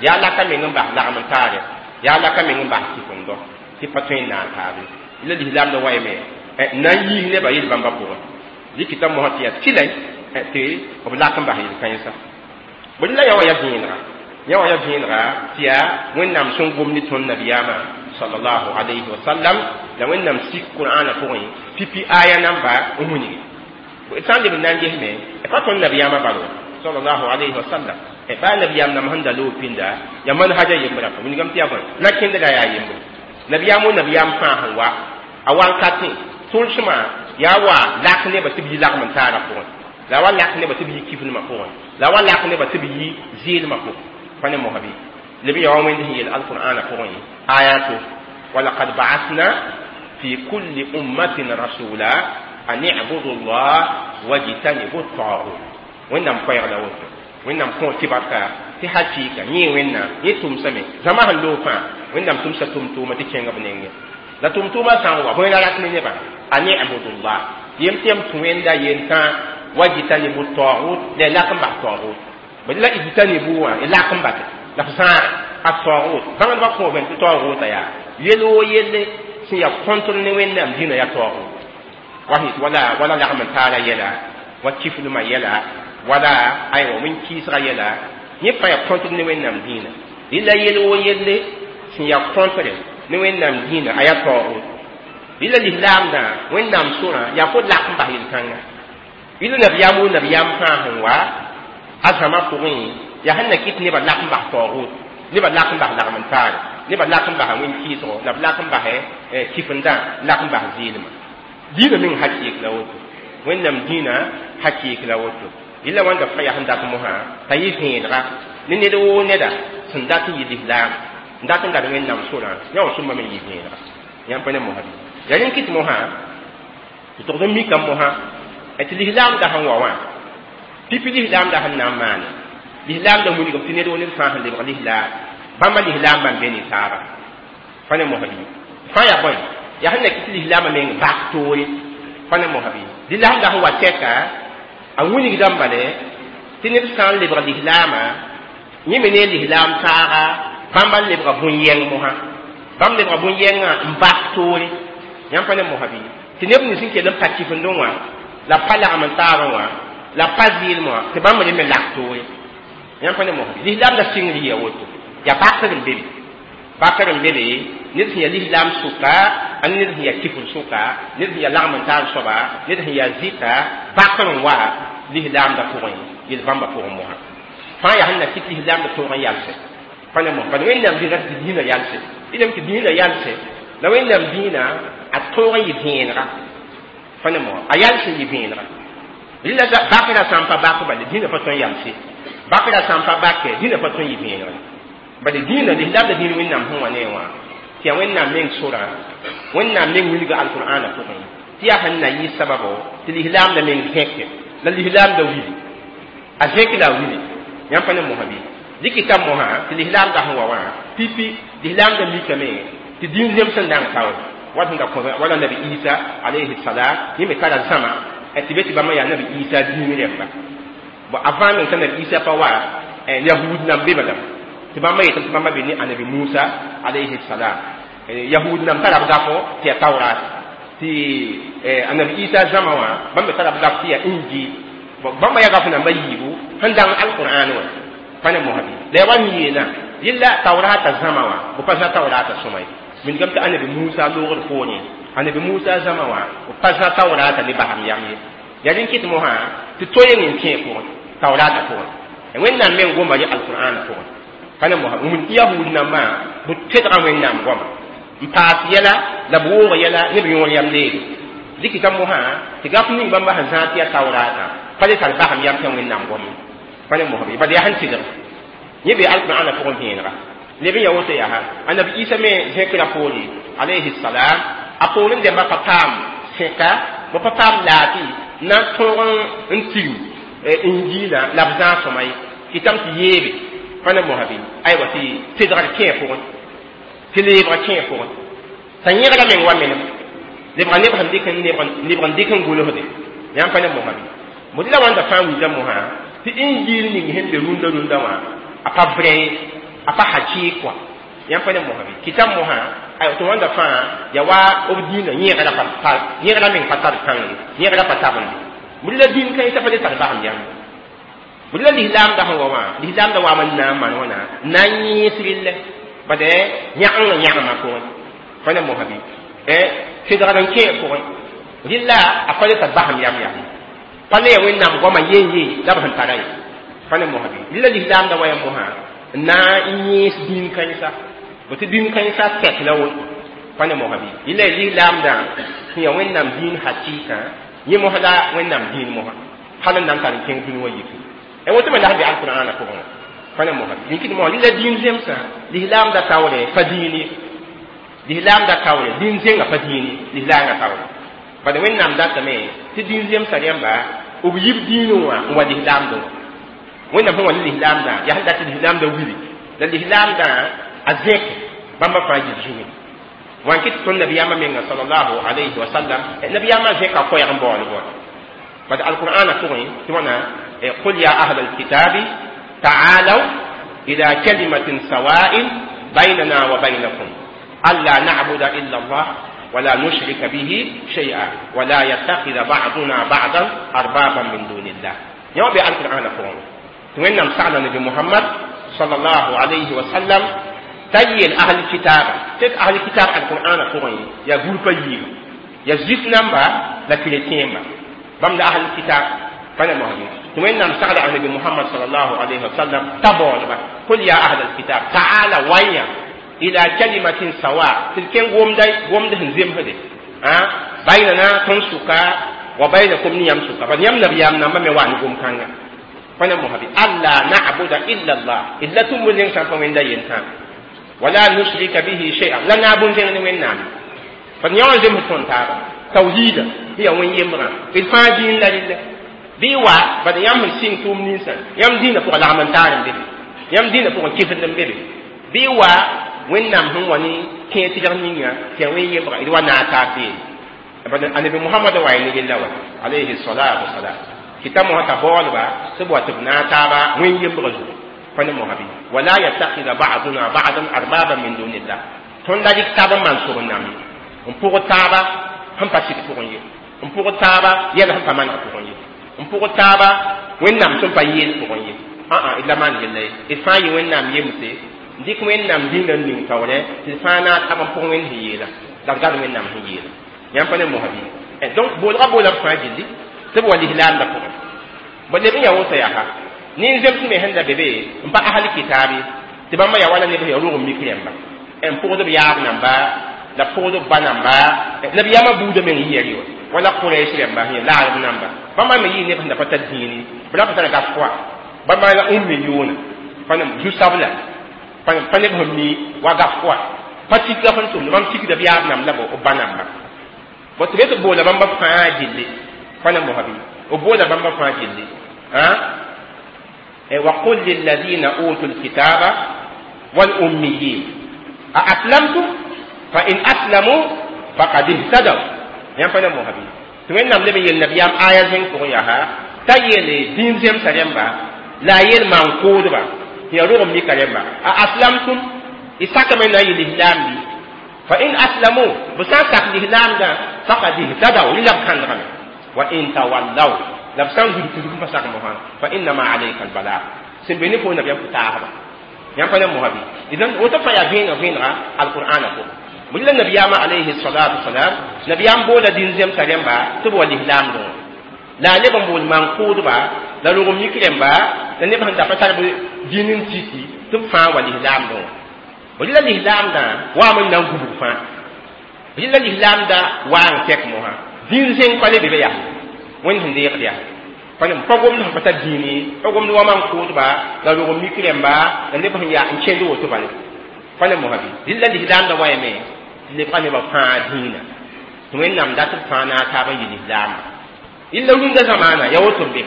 yaa laka meng n bas lagm n taare, yaa laka meng n bas kifendo tɩ pa tõe n naag taabe. La lislaamda waime n na n yiis nebã yel-bãmbã pʋgẽ dɩkɩta mosã tɩ yaa tɩlɛ tɩ b lak n bas yel-kãensa. Bõe la yã wã yaa vẽenega, yã wã yaa vẽenega tɩ yaa Wẽnnaam sẽn gom ne tõnd nabiyaamã sallallahu alayhi wa sallam la Wẽnnaam sik Qur'aanã pʋgẽ pipi aya namba n wilgi. Sã n leb n na n gesme pa tõnd nabiyaamã bal wã sallallahu alayhi wa sallam, baa nabiyaam nam sẽn da loog pĩnda yaa manhaja yembrã pa wilgame tɩ yaa bõe na kẽndga yaa yembre. Nabiyaam wo nabiyaam fãa sẽn wa a wankatẽ tʋlsmã yaa wa lak nebã tɩ b yi lagm n taarã pʋgẽ, la wa lak nebã tɩ b yi kifdmã pʋgẽ, la wa lak nebã tɩ b yi zɩɩlmã pʋgẽ. Pa ne mosã bɩ leb n ya wa Wẽnd sẽn yeel alqur'aanã pʋgẽ ayato: walaqad ba'athna fi kulli ummatin rasula an i'budu llah wajtanibu at-taghut. Wẽnnaam koɛɛg la woto, Wẽnnaam kõ tɩ barka tɩ hakɩɩka yẽ Wẽnnaam yẽ tʋmsame zãma sẽn loog fãa. Wẽnnaam tʋmsa tʋm-tʋʋma tɩ kẽnga b nengẽ la tʋm-tʋʋmã sã n wa bõe la rat ne nebã an i'budu llah yem tɩ yam tũ Wẽnda yentã wajtanibu at-taghut la y lak n bas taghut. Bõe la ijtanibu wã y lak n base la f zãaga at-taghut. Bãngdbã kõ bẽn tɩ taghutã yaa yel woo yelle sẽn yaa kõntr ne Wẽnnaam dĩnã yaa taghut wa wala wala lagm n taara yɛla wa kifdmã yɛla wala aywa wẽn-kɩɩsga yɛla yẽ fãa yaa kõntr ne Wẽnnaam dĩinã. Rɩla yel woo yelle sẽn yaa kõntre ne Wẽnnaam dĩinã a yaa taood. Rɩla lislaamdã Wẽnnaam sorã yaa fo lak n bas yel-kãnga. Rɩla nabiyaam wo nabiyaam fãa sẽn wa a zãma pʋgẽ yaa sẽn na kɩt nebã lak n bas taood, nebã lak n bas lagm n taare, nebã lak n bas wẽn-kɩɩsgo, la b lak n bas kifendã, lak n bas zɩɩlmã. Dĩinã meng hakɩɩk la woto, Wẽnnaam dĩinã hakɩɩk la woto. Rɩla wãnda fãa yaa sẽn dat mosã t'a yɩ vẽenega ne ned woo neda sẽn dat n yɩ lislaam n dat n gad Wẽnnaam sorã yã wã sõma me n yɩ vẽenega. Yãmb pa ne mosã bɩ yaa rẽnd kɩt mosã tɩ togd n mikame mosã tɩ lislaamda sẽn wa wã pipi lislaamda sẽn na n maane lislaamda wilgame tɩ ned woo ned fãa sẽn lebg lislaam bãmba lislaam bãmb be ne taaba. Pa ne mosã bɩ fãa yaa bõe yaa sẽn na kɩt lislaamã meng bak toore. Pa ne mosã bɩ lislaamda sẽn wa tɛka a wilgdame bale tɩ ned sã n lebg lislaamã yẽ me ne lislaam taaga bãmba n lebga bũn-yɛng mosã, bãmb lebga bũn-yɛngã n bas toore. Yãmb pa ne mosã bɩ tɩ neb nins sẽn kell n pa kifendẽ wã la pa lagm n taabã wã la pa zɩɩlem wã tɩ bãmb re me lak toore. Yãmb pa ne mosã bɩ lislaamda sɩngr yɩa woto yaa bakr n be be, bakr n be be ned sẽn yaa lislaam sʋka a ned sẽn yaa kifr sʋka, ned sẽn yaa lagm n taar soaba, ned sẽn yaa zɩta bakr n wa lislaamda pʋgẽ yel-bãmbã pʋgẽ mosã fãa yaa sẽn na kɩt lislaamda toog n yalsɛ. Pa ne mosã bala Wẽnnaam dĩnã tɩ dĩinã yalsɛ dĩnam tɩ dĩinã yalsɛ la Wẽnnaam dĩinã a toog n yɩ vẽenega. Pa ne mosã a yals n yɩ vẽenega. Rɩla bakra sã n pa bak bale dĩinã pa tõe n yalse, bakra sã n pa bakɛ dĩinã pa tõe n yɩ vẽenega. Bale dĩinã lislaamda dĩin Wẽnnaam sẽn wa ne wã tɩ yaa Wẽnnaam meng sorã, Wẽnnaam meng wilga alqur'aanã pʋgẽ tɩ yaa sẽn na yɩ sababo tɩ lislaamda meng zẽke la lislaamda wili a zẽk la a wili. Yãmb pa ne mosã bɩ dɩkɩta mosã tɩ lislaamda sẽn wa wã pipi lislaamda mikame Tɩ dĩin zems n dãng taoor wat sẽn da kõ wala Nabi Isa alayhi salam yẽ me tara zãma tɩ be tɩ bãmba yaa Nabi Isa dĩin rẽmba. Bon, avant meng t'a Nabi Isa pa wa, Yahud nam be lame tɩ bãmba yetame tɩ bãmba be ne Anabi Musa alayhi salam. Yahud nam tara b gafo tɩ yaa Taurat, tɩ Anabi Isa zãma wã bãmb me tara b gaf tɩ yaa Injil. Bãmba yaa gaf namba yiibu sẽn dãng Alqur'an wã pa ne mosbi la ya wa n yeelã yella Taurata zãma wã b pa zã Taurata sõma ye. Wilgame tɩ Anabi Musa loogd poorẽ, Anabi Musa zãma wã b pa zã Taurata ne basam yam ye. Yaa rẽn kɩt mosã tɩ to-yeng n kẽ pʋgẽ, Taurata pʋgẽ. Wẽnnaam meng goma ye Alqur'ana pʋgẽ pa ne mosa wũni tɩ Yahud nambã b tedga Wẽnnaam goama n paas yɛla la b woog yɛla ne b yõor yam leede. Dɩkɩta mosã tɩ gaf ning bãmba sẽn zãag tɩ yaa Taurata pa le tar basam yam tɩ Wẽnnaam gom pa ne mosã bad yaa sẽn tɩlg yẽ be Alqur'ana pʋgẽ vẽenega leb n ya woto. Yaa Anabi Isa me zẽkra poore alayhi salam, a poorẽ dẽmba pa paam sẽka, b pa paam laafɩ na n tõog n tigim Injiilã la b zãag sõma ye. Kɩtame tɩ yeebe pa ne mosã bɩ aywa tɩ tedgr kẽ pʋgẽ, tɩ leebga kẽ pʋgẽ t'a yẽgra meng wa menem lebga neb sẽn dɩk lebg n dɩk n gʋlsde yãmb pa ne mosã bɩ bõe la wãnda fãa wilda mosã tɩ Injiil ning sẽn be rũndã rũndã wã a pa vrai ye, a pa hakɩɩk wã yãmb pa ne mosã bɩ kɩtame mosã aywa tɩ wãnda fãa ya wa b dĩinã yẽgra pa yẽgra meng pa tar kãng ye, yẽgra pa tabende bõe la dĩin kãensã pa le tar basem yãmb bõe la lislaamda sẽn wa wã. Lislaamda waam n na n maan wãna n na n yẽes rɩllɛ bad yãgengã yãgmã pʋgẽ pa ne mosã bɩ tedgr n kẽ pʋgẽ rɩlla a pa le tar basem yam yam pa le ya Wẽnnaam goamã yen ye la b sẽn tara ye pa ne mosã bɩ rɩlla lislaamda wa ya mosã n na n yẽes dĩin kãensa bõ tɩ dĩin kãensã tɛk la woto pa ne mosã bɩ rɩlla lislaamdã sẽn ya Wẽnnaam dĩin hakɩɩkã yẽ mosã la Wẽnnaam dĩin mosã hal n na n tar n kẽng dũni wã yiki e woto me la sẽn be Alqur'ana pʋgẽ wã pa ne mosã bɩ rĩkd mosã rɩlla dĩin zemsã lislaamda taoore pa dĩin ye, lislaamda taoore dĩin zẽngã pa dĩin ye, lislaangã taoore bad Wẽnnaam datame tɩ dĩin zemsã rẽmba b yib dĩinẽ wã n wa lislaamdẽ wã. Wẽnnaam sẽn wa ne lislaamdã yaa sẽn dat tɩ lislaamdã wili la lislaamdã a zẽk bãmba fãa yib zugẽ wã n kɩt tõnd nabiyaamã menga sallallahu alayhi wa sallam. Nabiyaamã zẽka koɛɛg n baool bõe bad Alqur'ana pʋgẽ tɩ wãna: قل يا أهل الكتاب تعالوا إلى كلمة سواء بيننا وبينكم ألا نعبد إلا الله ولا نشرك به شيئا ولا يتخذ بعضنا بعضا أربابا من دون الله. يوم القرآن قرآن وإنما سأل النبي محمد صلى الله عليه وسلم تيل أهل الكتاب تك أهل الكتاب القرآن قرآن يا غروب ييب يا زيف نمبر لا كريتين بام أهل الكتاب فأنا مهدي وإنما سأل النبي محمد صلى الله عليه وسلم تبون قل يا أهل الكتاب تعالى ويا إلى كلمة سواء تلكين قوم داي قوم ده زيم هدي بيننا تنسكا وبينكم نيام سكا فنيام نبيام نما موان قوم كانغا فأنا مهدي ألا نعبد إلا الله إلا تمولين سانفا من دا ينتان ولا نشرك به شيئا لا نعبد زين وين نام فنيام زيم تون تابا توحيد هي وين يمرا الفاجين لا لله bɩ wa bad yãmb sẽn sɩng tʋʋm ninsã yãmb dĩinã pʋgã lagm n taar n be be yãmb dĩinã pʋgẽ kɩsd n be be bɩ wa Wẽnnaam sẽn wa ne kẽer tɩlg ninga tɩ yaa wẽn yembga d wa naag taab beene bad Anabi Mohamad wa ya ne rella wa alayhi salatu wasalam kɩta mosã t'a baoolba tɩ b wa tɩ b naag taaba wẽn yembga zugu pa ne mosã bɩ wala yattakhidha ba'duna ba'dan arbaba min dunillah tõnd la dɩk taab n maan sob n nam ye n pʋg taaba sẽn pa sɩd pʋgẽ ye n pʋg taaba yɛl sẽn pa maneg pʋgẽ ye n pʋg taaba Wẽnnaam sẽn pa yeel pʋgẽ ye ã d la maan yella ye d fãa yɩ Wẽnnaam yemse n dɩk Wẽnnaam dĩnã n ning taoorɛ tɩ d fãa naag tab n pʋg Wẽnd sẽn yeela la d gad Wẽnnaam sẽn yeela yãmb pa ne mosã bɩ. Donc boolga boola b fãa gilli tɩ b wa lislaamdã pʋgẽ bõ leb n yaa woto yaa nin-zems me sẽn da be be n pa asl kitaabe tɩ bãmba yaa wala neb sẽn yaa rog n mik rẽmba n pʋgd b yaab namba la pʋgd b ba namba nabiyaamã buudã meng yɩ yɛrɩ wa wala Quraish rẽmba sẽn yaa laarb namba bãmba me yɩ neb sẽn da pa tar dĩini b ra pa tara gaf fʋa bãmba la ummiyuuna pa zu-sabla pa neb sẽn mi wa gaf fʋa pa tikra sẽn tʋmd bãmb tikda b yaab namb la b ba namba bõ tɩ be tɩ boola bãmba fãa gilli pa ne mosã bɩ b boola bãmba fãa gilli وقل للذين أوتوا الكتاب والأميين أأسلمتم Fa in aslamu faqad ihtadaw. Yãmb pa ne mosã bɩ tɩ Wẽnnaam leb n yel nabiyaam aya zẽng pʋgẽ yaa t'a yeele dĩin zemsã rẽmba la a yel maan-kʋʋdba tɩ yaa rog n mika rẽmba a aslamtum y sakame na n yɩ lislaam bɩ fa in aslamu b sã n sak lislaamdã faqad ihtadaw rẽ la b kãndgame wa in tawallaw la b sã n gud kudg n pa sak mosã fa innama alayka albalag sẽn be ne fo nabiyaam pʋ-taasba yãmb pa ne mosã bɩ idan woto fãa yaa vẽeneg vẽenega alqur'ana pʋgẽ bõe la nabiyaamã alayhi salatu wasalam nabiyaam boola dĩn zemsã rẽmba tɩ b wa lislaamdẽ wã la a leb n bool maan-kʋʋdba la rog n mik rẽmba la neb sẽn da pa tar b dĩn n tiki tɩ b fãa wa lislaamdẽ wã b la lislaamdã waam n na n gubg fãa b la lislaamdã waa n kɛk mosã dĩn zẽng pa le be be yaa Wẽnd sẽn deegd yaa pa pa gomd sẽn pa tar dĩin ye pa gomd wa maan-kʋʋdba la rog n mik rẽmba la neb sẽn yaa n kẽnd woto bale pa ne mosã bɩ dɩl la lislaamdã wayame tɩ lebga nebã fãa dĩinã tɩ Wẽnnaam dat b fãa naag taab n yɩ lislaamba illa rũndã zamaana ya woto n be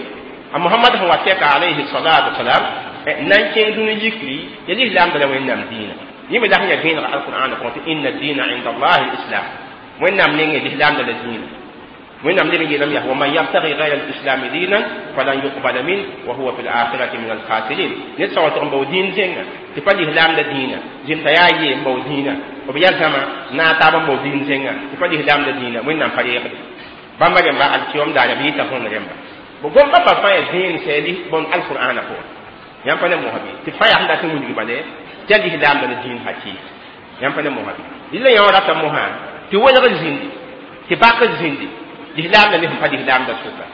a Mohamad sẽn wa tɛka alayhi salatu wasalam na n kẽng dũni yikri ya lislaamda la Wẽnnaam dĩinã yẽ me la sẽn yaa vẽenega alqur'ana pʋgẽ tɩ inna dina inda allahi lislam Wẽnnaam nengẽ lislaamda la dĩinã Wẽnnaam leb n yeelame yaa wa man yabtagi gayra alislami dinan falan yuqbala min wa huwa fi lakhirati min alkhasirin ned sã wa tʋg n bao dĩin zẽnga tɩ pa lislaamda dĩinã zẽmsa yaa yee n bao dĩinã b yaa zãma naag taab n bao dĩin zẽnga tɩ pa lislaamda dĩinã Wẽnnaam pa reegde bãmba rẽmba alkiyom daara b yɩta võnd rẽmba b gom bãmba fãa yaa vẽen sɛ bõn alqur'ana pʋgẽ yãmb pa ne mosã bɩ tɩ fãa yaa sẽn dat n wilg bale tɩ yaa lislaamda la dĩin hakɩɩk yãmb pa ne mosã bɩ rɩla yã wã rata mosã tɩ welg zĩndi tɩ bakr zĩndi lislaamda ne sẽn pa lislaamda sʋka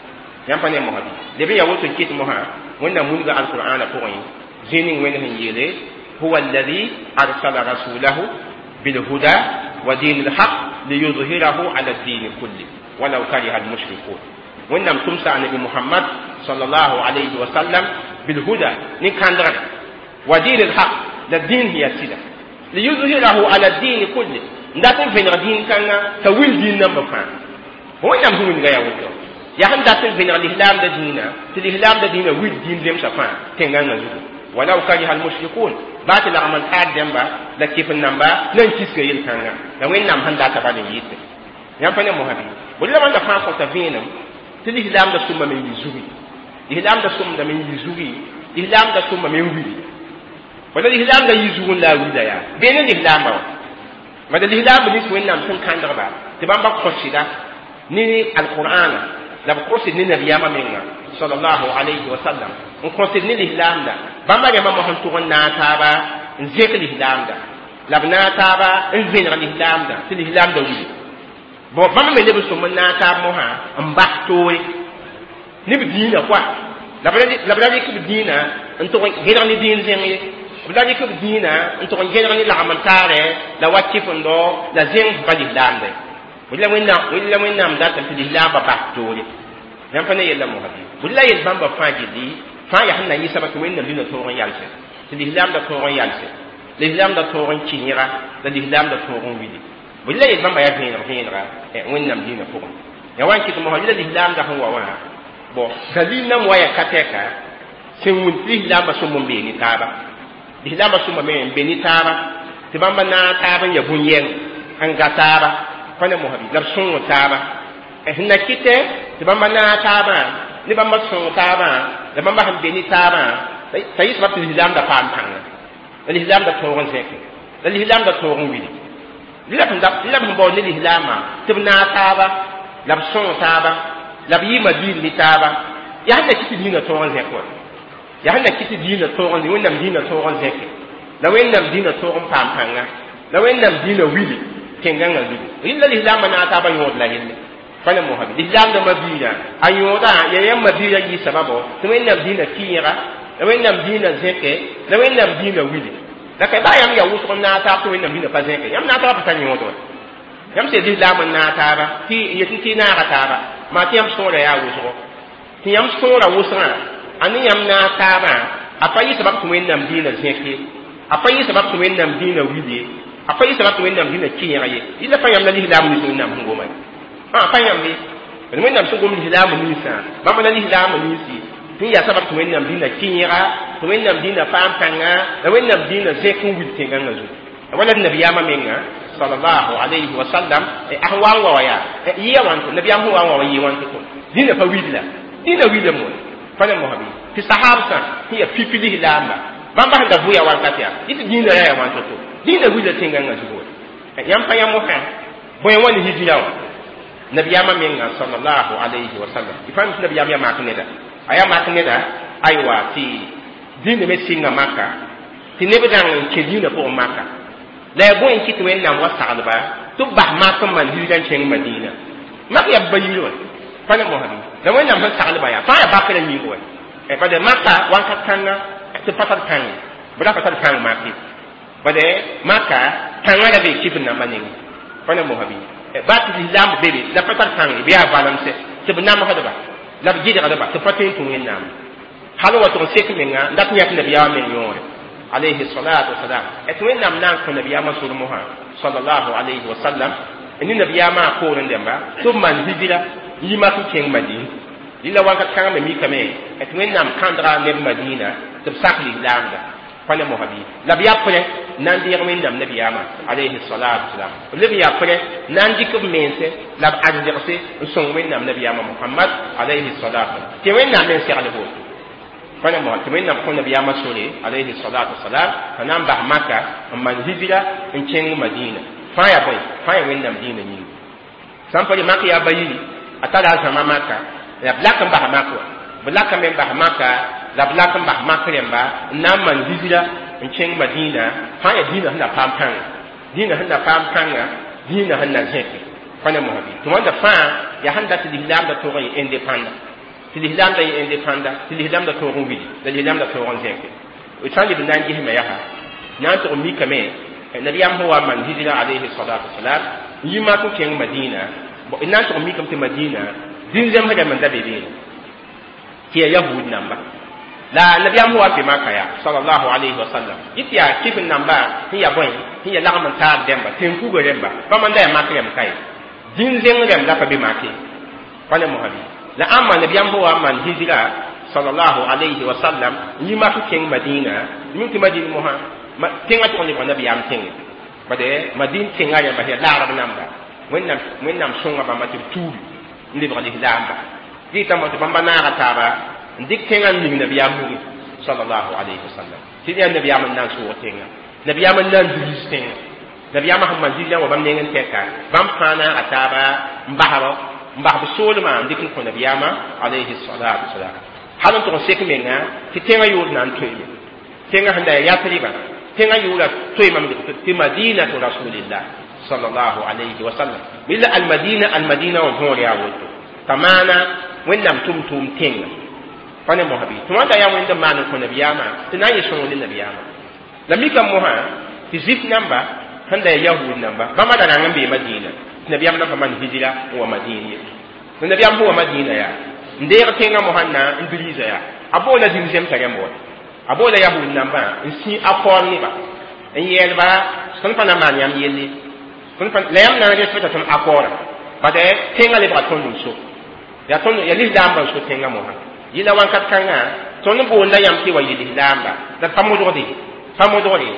yãmb pa ne mosã bɩ leb n yaa woto n kɩt mosã Wẽnnaam wilga alqur'ana pʋgẽ zĩ ning Wẽnd sẽn yeele huwa alladi arsala rasulahu bilhuda wa din lhaq liyudhirahu ala ddini kulli walau kariha almushrikun Wẽnnaam tʋmsa anabi Muhammad sallallahu alayhi wa sallam bilhuda ne kãndgre wa din lhaq la dĩin sẽn yaa sɩda liyudhirahu ala ddini kulli n dat n vẽneg dĩin kãnga t'a wil dĩin nambã fãa Wẽnnaam sẽn wilga yaa woto yaa sẽn dat n vẽneg lislaamda dĩinã tɩ lislaamda dĩinã wil dĩin zemsã fãa tẽngãngã zugu walau kariha almushrikun baa tɩ lagm n taad dẽmba la kɩf n namba na n kisga yel-kãnga la Wẽnnaam sẽn data bal n yɩte yãmb pa ne mosã bɩ bõe la bãnda fãa kõta vẽenem tɩ lislaamda sʋma me n yɩ zugi lislaamda sʋmda me n yɩ zugi lislaamda sʋma me n wili wala lislaamda yɩ zug n la a wila yaa bee ne lislaamba wã mada lislaamba nins Wẽnnaam sẽn kãndgba tɩ bãmba kõsɩda ne alqur'ana la b kõsd ne nabiyaamã menga sallallahu alayhi wa sallam n kõsd ne lislaamda bãmba rẽmbã mos n tʋg n naag taaba n zẽk lislaamda la b naag taaba n vẽneg lislaamda tɩ lislaamda wili bon bãmba me leb n sõm n naag taab mosã n bas toore ne b dĩinã koa la b ra rɩk b dĩinã n tʋg n gẽneg ne dĩin zẽng ye b la rɩk b dĩinã n tʋg n gẽneg ne lagm n taarɛ la wa kɩfendɔ la zẽng sẽn pa lislaamda la Wẽnnaam datame tɩ lislaambã bas toore yãmb pa ne yella mosã bɩ bõe la yel bãmba fãa gilli fãa yaa sẽn na yɩ sabab tɩ Wẽnnaam dĩnã tõog n yalsẽ tɩ lislaamda tõog n yalsẽ lislaamda tõog n kɩyẽga la lislaamda tõog n wili bõe la yel bãmba yaa vẽeneg vẽenega Wẽnnaam dĩnã pʋgẽ ya wa n kɩt mosã la lislaamda sẽn wa wã bon dalil nam wa ya ka tɛka sẽn wʋn tɩ lislaambã sõm n bee ne taaba lislaambã sõma me n be ne taaba tɩ bãmba naag taab n ya bũn-yɛng n ga taaba pa ne mosã bɩ la b sõng taaba sẽn na kɩtɛ tɩ bãmba naag taabã ne bãmba sõng taabã la bãmba sẽn be ne taabã t'a yɩ sabab tɩ lislaamda paam pãnga la lislaamda tõog n zẽke la lislaamda tõog n wili la b sẽn baood ne lislaamã tɩ b naag taaba la b sõng taaba la b yɩɩma diir ne taaba yaa sẽn na kɩ tɩ dĩinã tõog n zẽk wa yaa sẽn na kɩ tɩ dĩinã tõog n Wẽnnaam dĩinã tõog n zẽke la Wẽnnaam dĩinã tõog n paam pãnga la Wẽnnaam dĩinã wili tẽngãngã zugu rɩla lislaambã naag taabã yõod la yelle pa ne mosã bɩ lislaamda mabiirã a yõoda ya yãmb mabiirã yɩ sababo tɩ Wẽnnaam dĩinã kɩyẽga la Wẽnnaam dĩinã zẽke la Wẽnnaam dĩinã wili la ka baa yãmb yaa wʋsg n naag taab tɩ Wẽnnaam dĩinã pa zẽke yãmb naag taabã pa tar yõod wa yãmb sẽn lislaam n naag taaba tɩ yetɩ tɩ naaga taaba maa tɩ yãmb sõora yaa wʋsgo tɩ yãmb sõora wʋsgã a ne yãmb naag taabã a pa yɩ sabab tɩ Wẽnnaam dĩinã zẽke a pa yɩ sabab tɩ Wẽnnaam dĩinã wili a pa yɩ sabab tɩ Wẽnnaam dĩinã kɩyẽg ye yɩla pa yãmb la lislaam nins Wẽnnaam sẽn goma ye pa yãmb be Wẽnnaam sẽn gom lislaam ninsã bãmb la lislaam ninsi tɩ n yaa sabab tɩ Wẽnnaam dĩinã kɩyẽga tɩ Wẽnnaam dĩinã paam pãnga la Wẽnnaam dĩinã zẽk n wil tẽngãngã zugu wala nabiyaamã menga sallallahu alayhi wa sallam a sẽn wa n wa wa yaa yɩa wãnto nabiyaam sẽn wa n wa wa yɩ wãnto to dĩnã pa wilda dĩnã wilame wa pa ne mosã bɩ tɩ sahabsã sẽn yaa pipi lislaamba bãmba sẽn da vʋya wakat yaa yɩ tɩ dĩinã ra yaa wãnto to dĩinã wilda tẽngãngã zugu wa yãmb pa yã mosã bõe wã ne hijira wã nabiyaamã menga sallallahu alayhi wa sallam y fãa mi tɩ nabiyaam yaa mak neda a yaa mak neda aywa tɩ dĩinã me sɩnga maka tɩ neb rãng n kẽ dĩinã pʋgẽ maka la yaa bõe n kɩt wẽnnaam wa saglba tɩ b bas mak n maan hijira n kẽng madina mak yaa b ba yir wã pa ne mosã bɩ la wẽnnaam sẽn saglba yaa fãa yaa bakrã yĩng wa bad maka wãnkat kãnga tɩ pa tar pãng b ra pa tar pãng mak ye bad maka pãngã ra bee kɩf namba nengẽ pa ne mosã bɩ ba tɩ lislaam bebe la pa tar pãng bɩ yaa valemsɛ tɩ b namsdba la b gɩdgdba tɩ pa tõe n tũ wẽnnaam hal wa tʋg n sek menga n dat yãk nabiyaamã meng yõore alayhi salatu wasalam tɩ wẽnnaam na n kõ nabiyaamã sor mosã sallallahu alayhi wa sallam ne nabiyaamã a poorẽ dẽmba tɩ b maan hijira n yi mak n kẽng madin lila wakat kãngã me mikame tɩ wẽnnaam kãndga neb madina tɩ b sak lislaamda pa ne mosã bɩ la b yaa pʋrẽ na n deeg wẽnnaam nabiyaamã alayhi salatu wasalam b leb yaa pʋrẽ na n dɩk b mense la b arzegse n sõng wẽnnaam nabiyaamã Muhammad alayhi salatu tɩ wẽnnaam me n segl woto pa ne mosã tɩ wẽnnaam kõ nabiyaamã sore alayhi salatu wasalam t'a na n bas maka n maan hijira n kẽng madina fãa yaa bõe fãa yaa wẽnnaam dĩinã yĩnga sã n pa mak yaa ba yiri a tara a zãma maka la b lak n bas mak wã b lakame n bas maka la b lak n bas mak rẽmba n na n maan hijira n kẽng madina fãa yaa dĩinã sẽn na paam pãnga dĩinã sẽn na paam pãnga dĩinã sẽn na zẽke pa ne mosã bɩ tɩ wãnda fãa yaa sẽn dat tɩ lislaamda tog n yɩ indépendant tɩ lislaamda yɩ indépendant tɩ lislaamda toog n wili la lislaamda toog n zẽke d sã n leb n na n gesme yaa na n tʋg n mikame nabiyaam sẽn wa n maan hijira alayhi salatu wasalam n yi mak n kẽng madina d na n tʋg n mikame tɩ madina zĩn-zemsdã rãmb n da be beene tɩ yaa yahud namba la nabiyaam sẽn wa n be maka yaa sallallahu alayhi wa sallam yɩ tɩ yaa kɩf n namba sẽn yaa bõe sẽn yaa lagm n taab dẽmba tẽn-kuga rẽmba bãmb n da yaa mak rẽmb ka ye zĩn-zẽng rẽmb la pa be mak ye pa ne mosã bɩ la ãmba nabiyaam sẽn wa n maan hijira sallallahu alayhi wa sallam n yi mak n kẽng madina mim tɩ madin mosã tẽngã tʋg n lebg nabiyaam tẽngẽ bad madin tẽngã rẽmba sẽn yaa lagrb namba wẽnnaam sõnga bãmba tɩ b tuubi n lebg lislaamba dɩtame tɩ bãmba naaga taaba n dɩk tẽngã n ning nabiyaam mugẽ sallallahu alayhi wa sallam tɩ yaa nabiyaam n na n sʋʋg tẽngã nabiyaam n na n diris tẽngã nabiyaamã sẽn maan hijrã wa bãmb neng n tɛka bãmb fãa naaga taaba n basb n bas b soolmã n dɩk n kõ nabiyaamã alayhi salatu wasalam hal n tʋg n sek menga tɩ tẽngã yʋʋr na n toeeme tẽngã sẽn da yaa Yatriba tẽngã yʋʋra toeemame tɩ madinatu rasulillah sallallahu alayhi wa sallam mila almadina almadina wã võor yaa woto t'a maana wẽnnaam tʋm-tʋʋm tẽnga pa ne mosã bɩ tɩ wãnda yaa wẽnd n maan n kõ nabiyaamã tɩ na n yɩ sõng ne nabiyaamã la mikame mosã tɩ zif namba sẽn da yaa yahud namba bãmba da rãng n bee madina tɩ nabiyaam na pa maan hijira n wa madin ye tɩ nabiyaam sẽn wa madina yaa n deeg tẽngã mosã n na n diriisa yaa a boola zĩm-zemsã rẽmb wa a boola yahud nambã n sĩ akɔɔr neba n yɛɛlba tõnd pa na n maan yãmb yelle la yãmb na n respecta tõnd akɔɔra bad tẽngã lebga tõnd n so yaa tõnd yaa lislaambã n so tẽngã mosã yɩla wãnkat kãngã tõnd boonda yãmb tɩ wa yɩ lislaamba la pa modgde pa modgde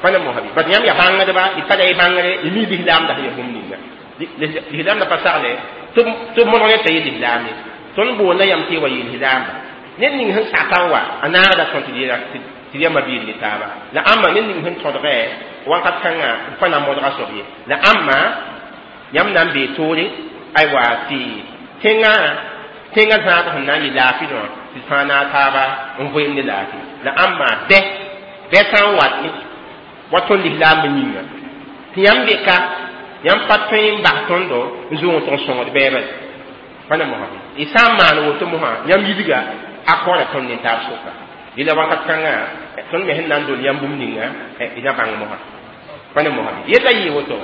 pa ne mosã bɩ bad yãmb yaa bãngdba y tara y bãngre y mi lislaamda sẽn yaa bũmb ninga lislaamda pa sagle tɩ b modg ne t'a yɩ lislaam ye tõnd boonda yãmb tɩ wa yɩ lislaamba ned ning sẽn saka n wa a naagda tõnd tɩ yãmba biid ne taaba la ãmba ned ning sẽn tõdgɛ wãnkat kãngã b pa na n modga soab ye la ãmba yãmb na n bee toore aywa tɩ tẽngã tẽngã zãag sẽn na n yɩ laafɩ dõ tɩ fãa naag taaba n voeem ne laafɩ la ãmba bɛ bɛ sã n wat wa tõnd lislaambã yĩnga tɩ yãmb be ka yãmb pa tõe n bas tõndo n zoog tɩ n sõngd bɛɛbã pa ne mosã y sã n maan woto mosã yãmb yidga a kaoora tõnd ne taab sʋka yɩla wakat kãngã tõnd me sẽn na n dol yãmb bũmb ninga y na bãng mosã pa ne mosã yella yɩ woto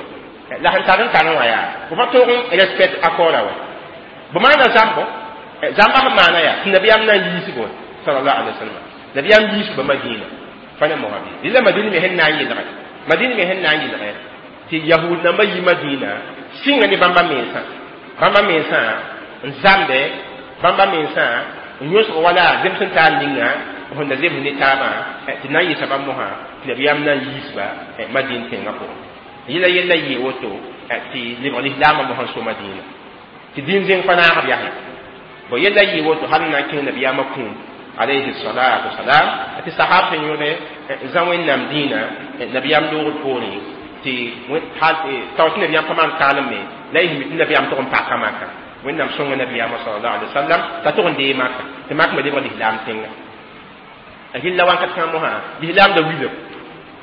la sẽn tar n tar wã yaa b pa toog n respect akɔɔra wa b maana zãmbo zãmba sẽn maana yaa tɩ nabiyaam na n yiisbo sallallahu alaihi wasallam nabiyaam yiisba madina pa ne mosã yella madina me sẽn na n yɩlgɛ madina me sẽn na n yɩlgɛ tɩ yahud namba yi madina sɩnga ne bãmba mensã bãmba mensã n zãmde bãmba mensã n yõsg wala zems n taar ninga sẽn da zems ne taabã tɩ na n yɩsa bãmb mosã tɩ nabiyaam na n yiisba madin tẽngã pʋgẽ Yɩla yella yɩ woto tɩ lebg lislaambã mosã n so Madina tɩ dĩn zẽng pa naag b yase bo yella yɩ woto hal n na n kẽng nabiyaamã kũum alayhi salatu wasalam tɩ sahab sẽn yõde zã wẽnnaam dĩinã nabiyaam loogd poorẽ tɩ tao tɩ nabiyaam pa maan kaalem me la y tɩ nabiyaam tʋg n paka maka wẽnnaam sõnga nabiyaamã salallahu alaihi wasallam t'a tʋg n dee maka tɩ mak me lebg lislaam tẽnga a gilla wãnkat kãng mosã lislaam da wilem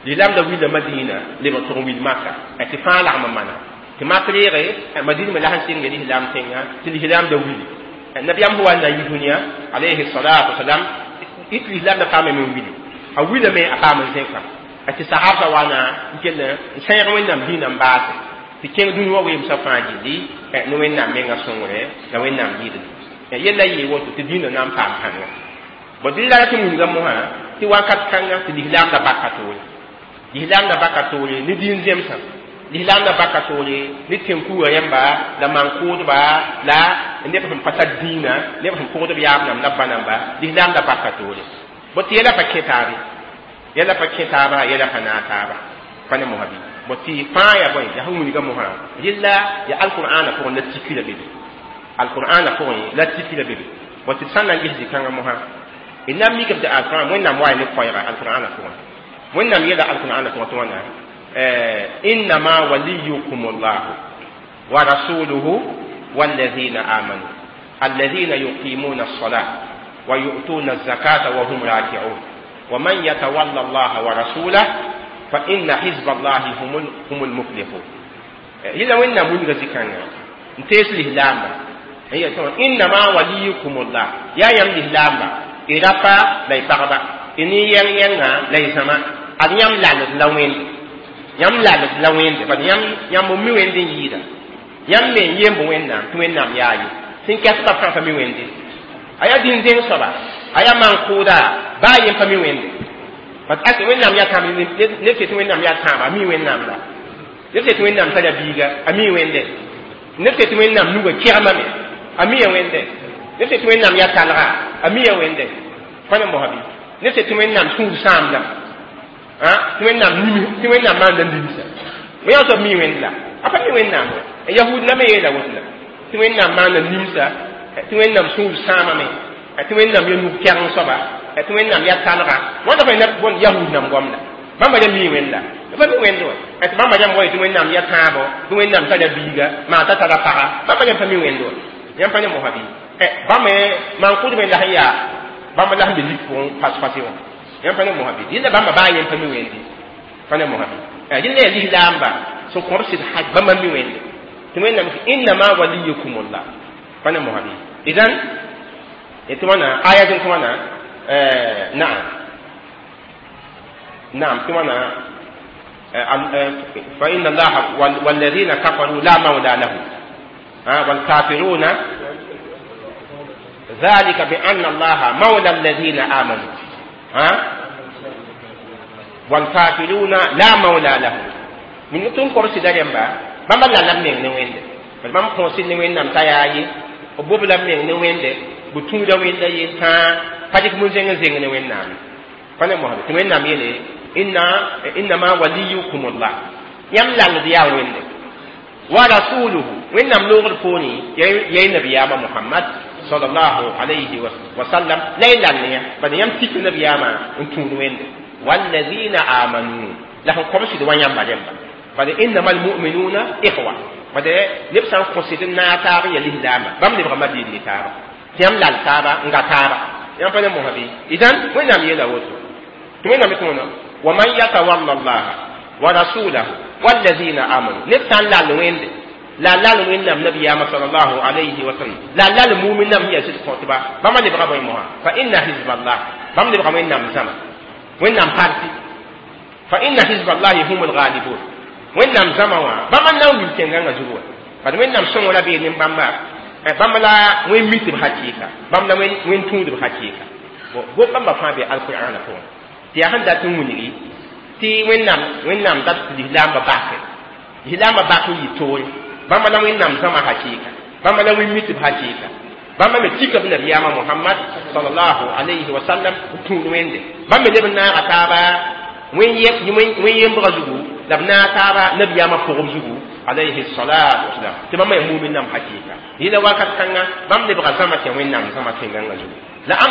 lislaam da wila Madina lebg tʋg n wil maka tɩ fãa lagm n mana tɩ mak reege Madina me la sẽn sɩng lislaam tẽnga tɩ lislaam da wili nabiyaam sẽn wa n na n yi dũniyã alayhi salatu wasalam tɩ lislaam da paame me n wili a wilame a paam n zẽka tɩ sahabsã wa na n kell n sẽeg wẽnnaam dĩinã n baase tɩ kẽng dũni wã weemsã fãa gilli ne wẽnnaam menga sõngre la wẽnnaam yɩɩdl yella yɩɩ woto tɩ dĩinã na n paam kãnga bõ dɩ la tɩ wilga mosã tɩ wakat kãnga tɩ lislaam da baka toore lislaam da baka toore ne dĩin zemsã lislaam da baka toore ne tẽn-kuga yãmba la maan-kʋʋdba la neb sẽn pa tar dĩinã neb sẽn pʋgd b yaab namba la b ba namba lislaam da baka toore bõ tɩ yɛla pa kẽ taabe yɛla pa kẽ taaba yɛla pa naag taaba pa ne mosã bɩ bõ tɩ fãa yaa bõe yaa sẽn wilga mosã rɩlla yaa alqur'ana pʋgẽ la tiki la bebe alqur'ana pʋgẽ la tiki la bebe bõ tɩ sã n na n ges zĩ-kãngã mosã d na n mikb tɩ alqur'an wẽnnaam wa ne koɛɛga alqur'ana pʋgẽ wẽnnaam yeela alqur'ana pʋgẽ tɩ wãna innama waliyukum llahu wa rasuluhu والذين آمنوا الذين يقيمون الصلاة ويؤتون الزكاة وهم راكعون ومن يتولى الله ورسوله فإن حزب الله هم المفلحون إلا وإن من ذكرنا انتيس الإسلام هي إنما وليكم الله يا يم الإسلام إرابا لا يبغى إني ين ين لا يسمع أن يم لا لوين يم لا لوين بل يم يم مي وين دين يدا يم من يم وين نام توين نام يا يي سين كاسبا فرانسا مي وين دين أيا دين دين صبا أيا من كودا با يم فمي وين دين parce que wẽnnaam yaa tãab ned tɩ wẽnnaam yaa tãaba a mi wẽnnaam la ned tɩ wẽnnaam tara biiga a mi wẽnde ned tɩ wẽnnaam nuga kɛgmame a mi ya wẽnde ned tɩ wẽnnaam yaa talga a mi ya wẽnde pa ne mosã bɩ ned tɩ wẽnnaam sũur sãamdame tɩ wẽnnaam nim tɩ wẽnnaam maanda limsa wẽn soab mi wẽnd la a pa mi wẽnnaam wa yahud la me yeela woto la tɩ wẽnnaam maanda limsa tɩ wẽnnaam sũur sãamame tɩ wẽnnaam ya nug kɛgeng soaba tɩ wẽnnaam yaa talga wãnda fa bõn yahud nam goamda bãmba yaa mi wẽnd la pa mi wẽnd wa tɩ bãmba yãmb wa tɩ wẽnnaam yaa tãabo tɩ wẽnnaam tara biiga maa t'a tara paga bãmba yãmb pa mi wẽnd wa yãmb pa ne mosã bɩ bãmb maan-kʋʋdb la sẽn yaa bãmb la sẽn be lik pʋgẽ fas-fase wã yãmb pa ne mosã bɩ dɩlla bãmba baa yẽmb pa mi wẽndi pa ne mosã bɩ dɩlla yaa lislaamba sẽn kõb sɩd haj bãmba mi wẽnde tɩ wẽnnaam innama waliyukum llah pa ne mosã bɩ idan tɩ wãna aya zẽn tɩ wãna نعم نعم ثم فإن الله والذين كفروا لا مولى لهم والكافرون ذلك بأن الله مولى الذين آمنوا والكافرون لا مولى لهم من تون كرسي داريمبا بamba la la meng ne wende bam konsi ne wennam tayayi o bob la meng ne wende bu tũuda wẽnda yel tãa pa dɩk mun-zẽng n zẽng ne wẽnnaam pa ne mosã tɩ wẽnnaam yeele inna innama waliyukum llah yãmb lalld yaa wẽnde wa rasuluhu wẽnnaam loogd poorẽ yay nabiyaamã Muhammad sallallahu alayhi wa sallam la y lall yã bad yãmb tik nabiyaamã n tũud wẽnde walladina amanu la sẽn kõbsd wa yãmba rẽmba bad innama almuminuna ikhwa bad neb sã n kõsd n naag taab n ya lislaamba bãmb lebga mabiid ne taaba tɩ yãmb lall taaba n ga taaba yãmb pa ne mosã bɩ idan wẽnnaam yeela woto tɩ wẽnnaam tɩ wãna wa man yatawalla llaha wa rasulahu walladina amanu neb sã n lall wẽnde la lall wẽnnaam nabiyaamã salallahu alayhi wa sallam la lall mumin nam sẽn yaa sɩd kõtba bãmba lebga bõe mosã fa inna hizballah bãmb lebga wẽnnaam zãma wẽnnaam parti fa inna hizballahi hum lgalibun wẽnnaam zãma wã bãmba n na n wil tẽngãngã zugu wã bad wẽnnaam sõngra bee nin-bãmba bãmb la wẽn mitb hakɩɩka bãmb la wẽn tũudb hakɩɩka bo bãmba fãa be alqur'ana pʋgẽ tɩ yaa sẽn dat n wilgi tɩ wẽnnaam wẽnnaam dat tɩ lislaambã bake lislaambã bak n yɩ toore bãmba la wẽnnaam zãma hakɩɩka bãmba la wẽn mitb hakɩɩka bãmba me tika b nabiyaamã Muhammad sallallahu alayhi wa sallam n tũud wẽnde bãmb me leb n naaga taaba wẽn yembgã zugu La b naag taaba nabiyaamã pʋgb zugu, alayhi salatu wasalam, tɩ bãmb yaa mumin nãmb hakɩɩka. Yẽla wakat kãnga bãmb lebga zãma tɩ Wẽnnaam zãma tẽngãngã zugu la ãmba.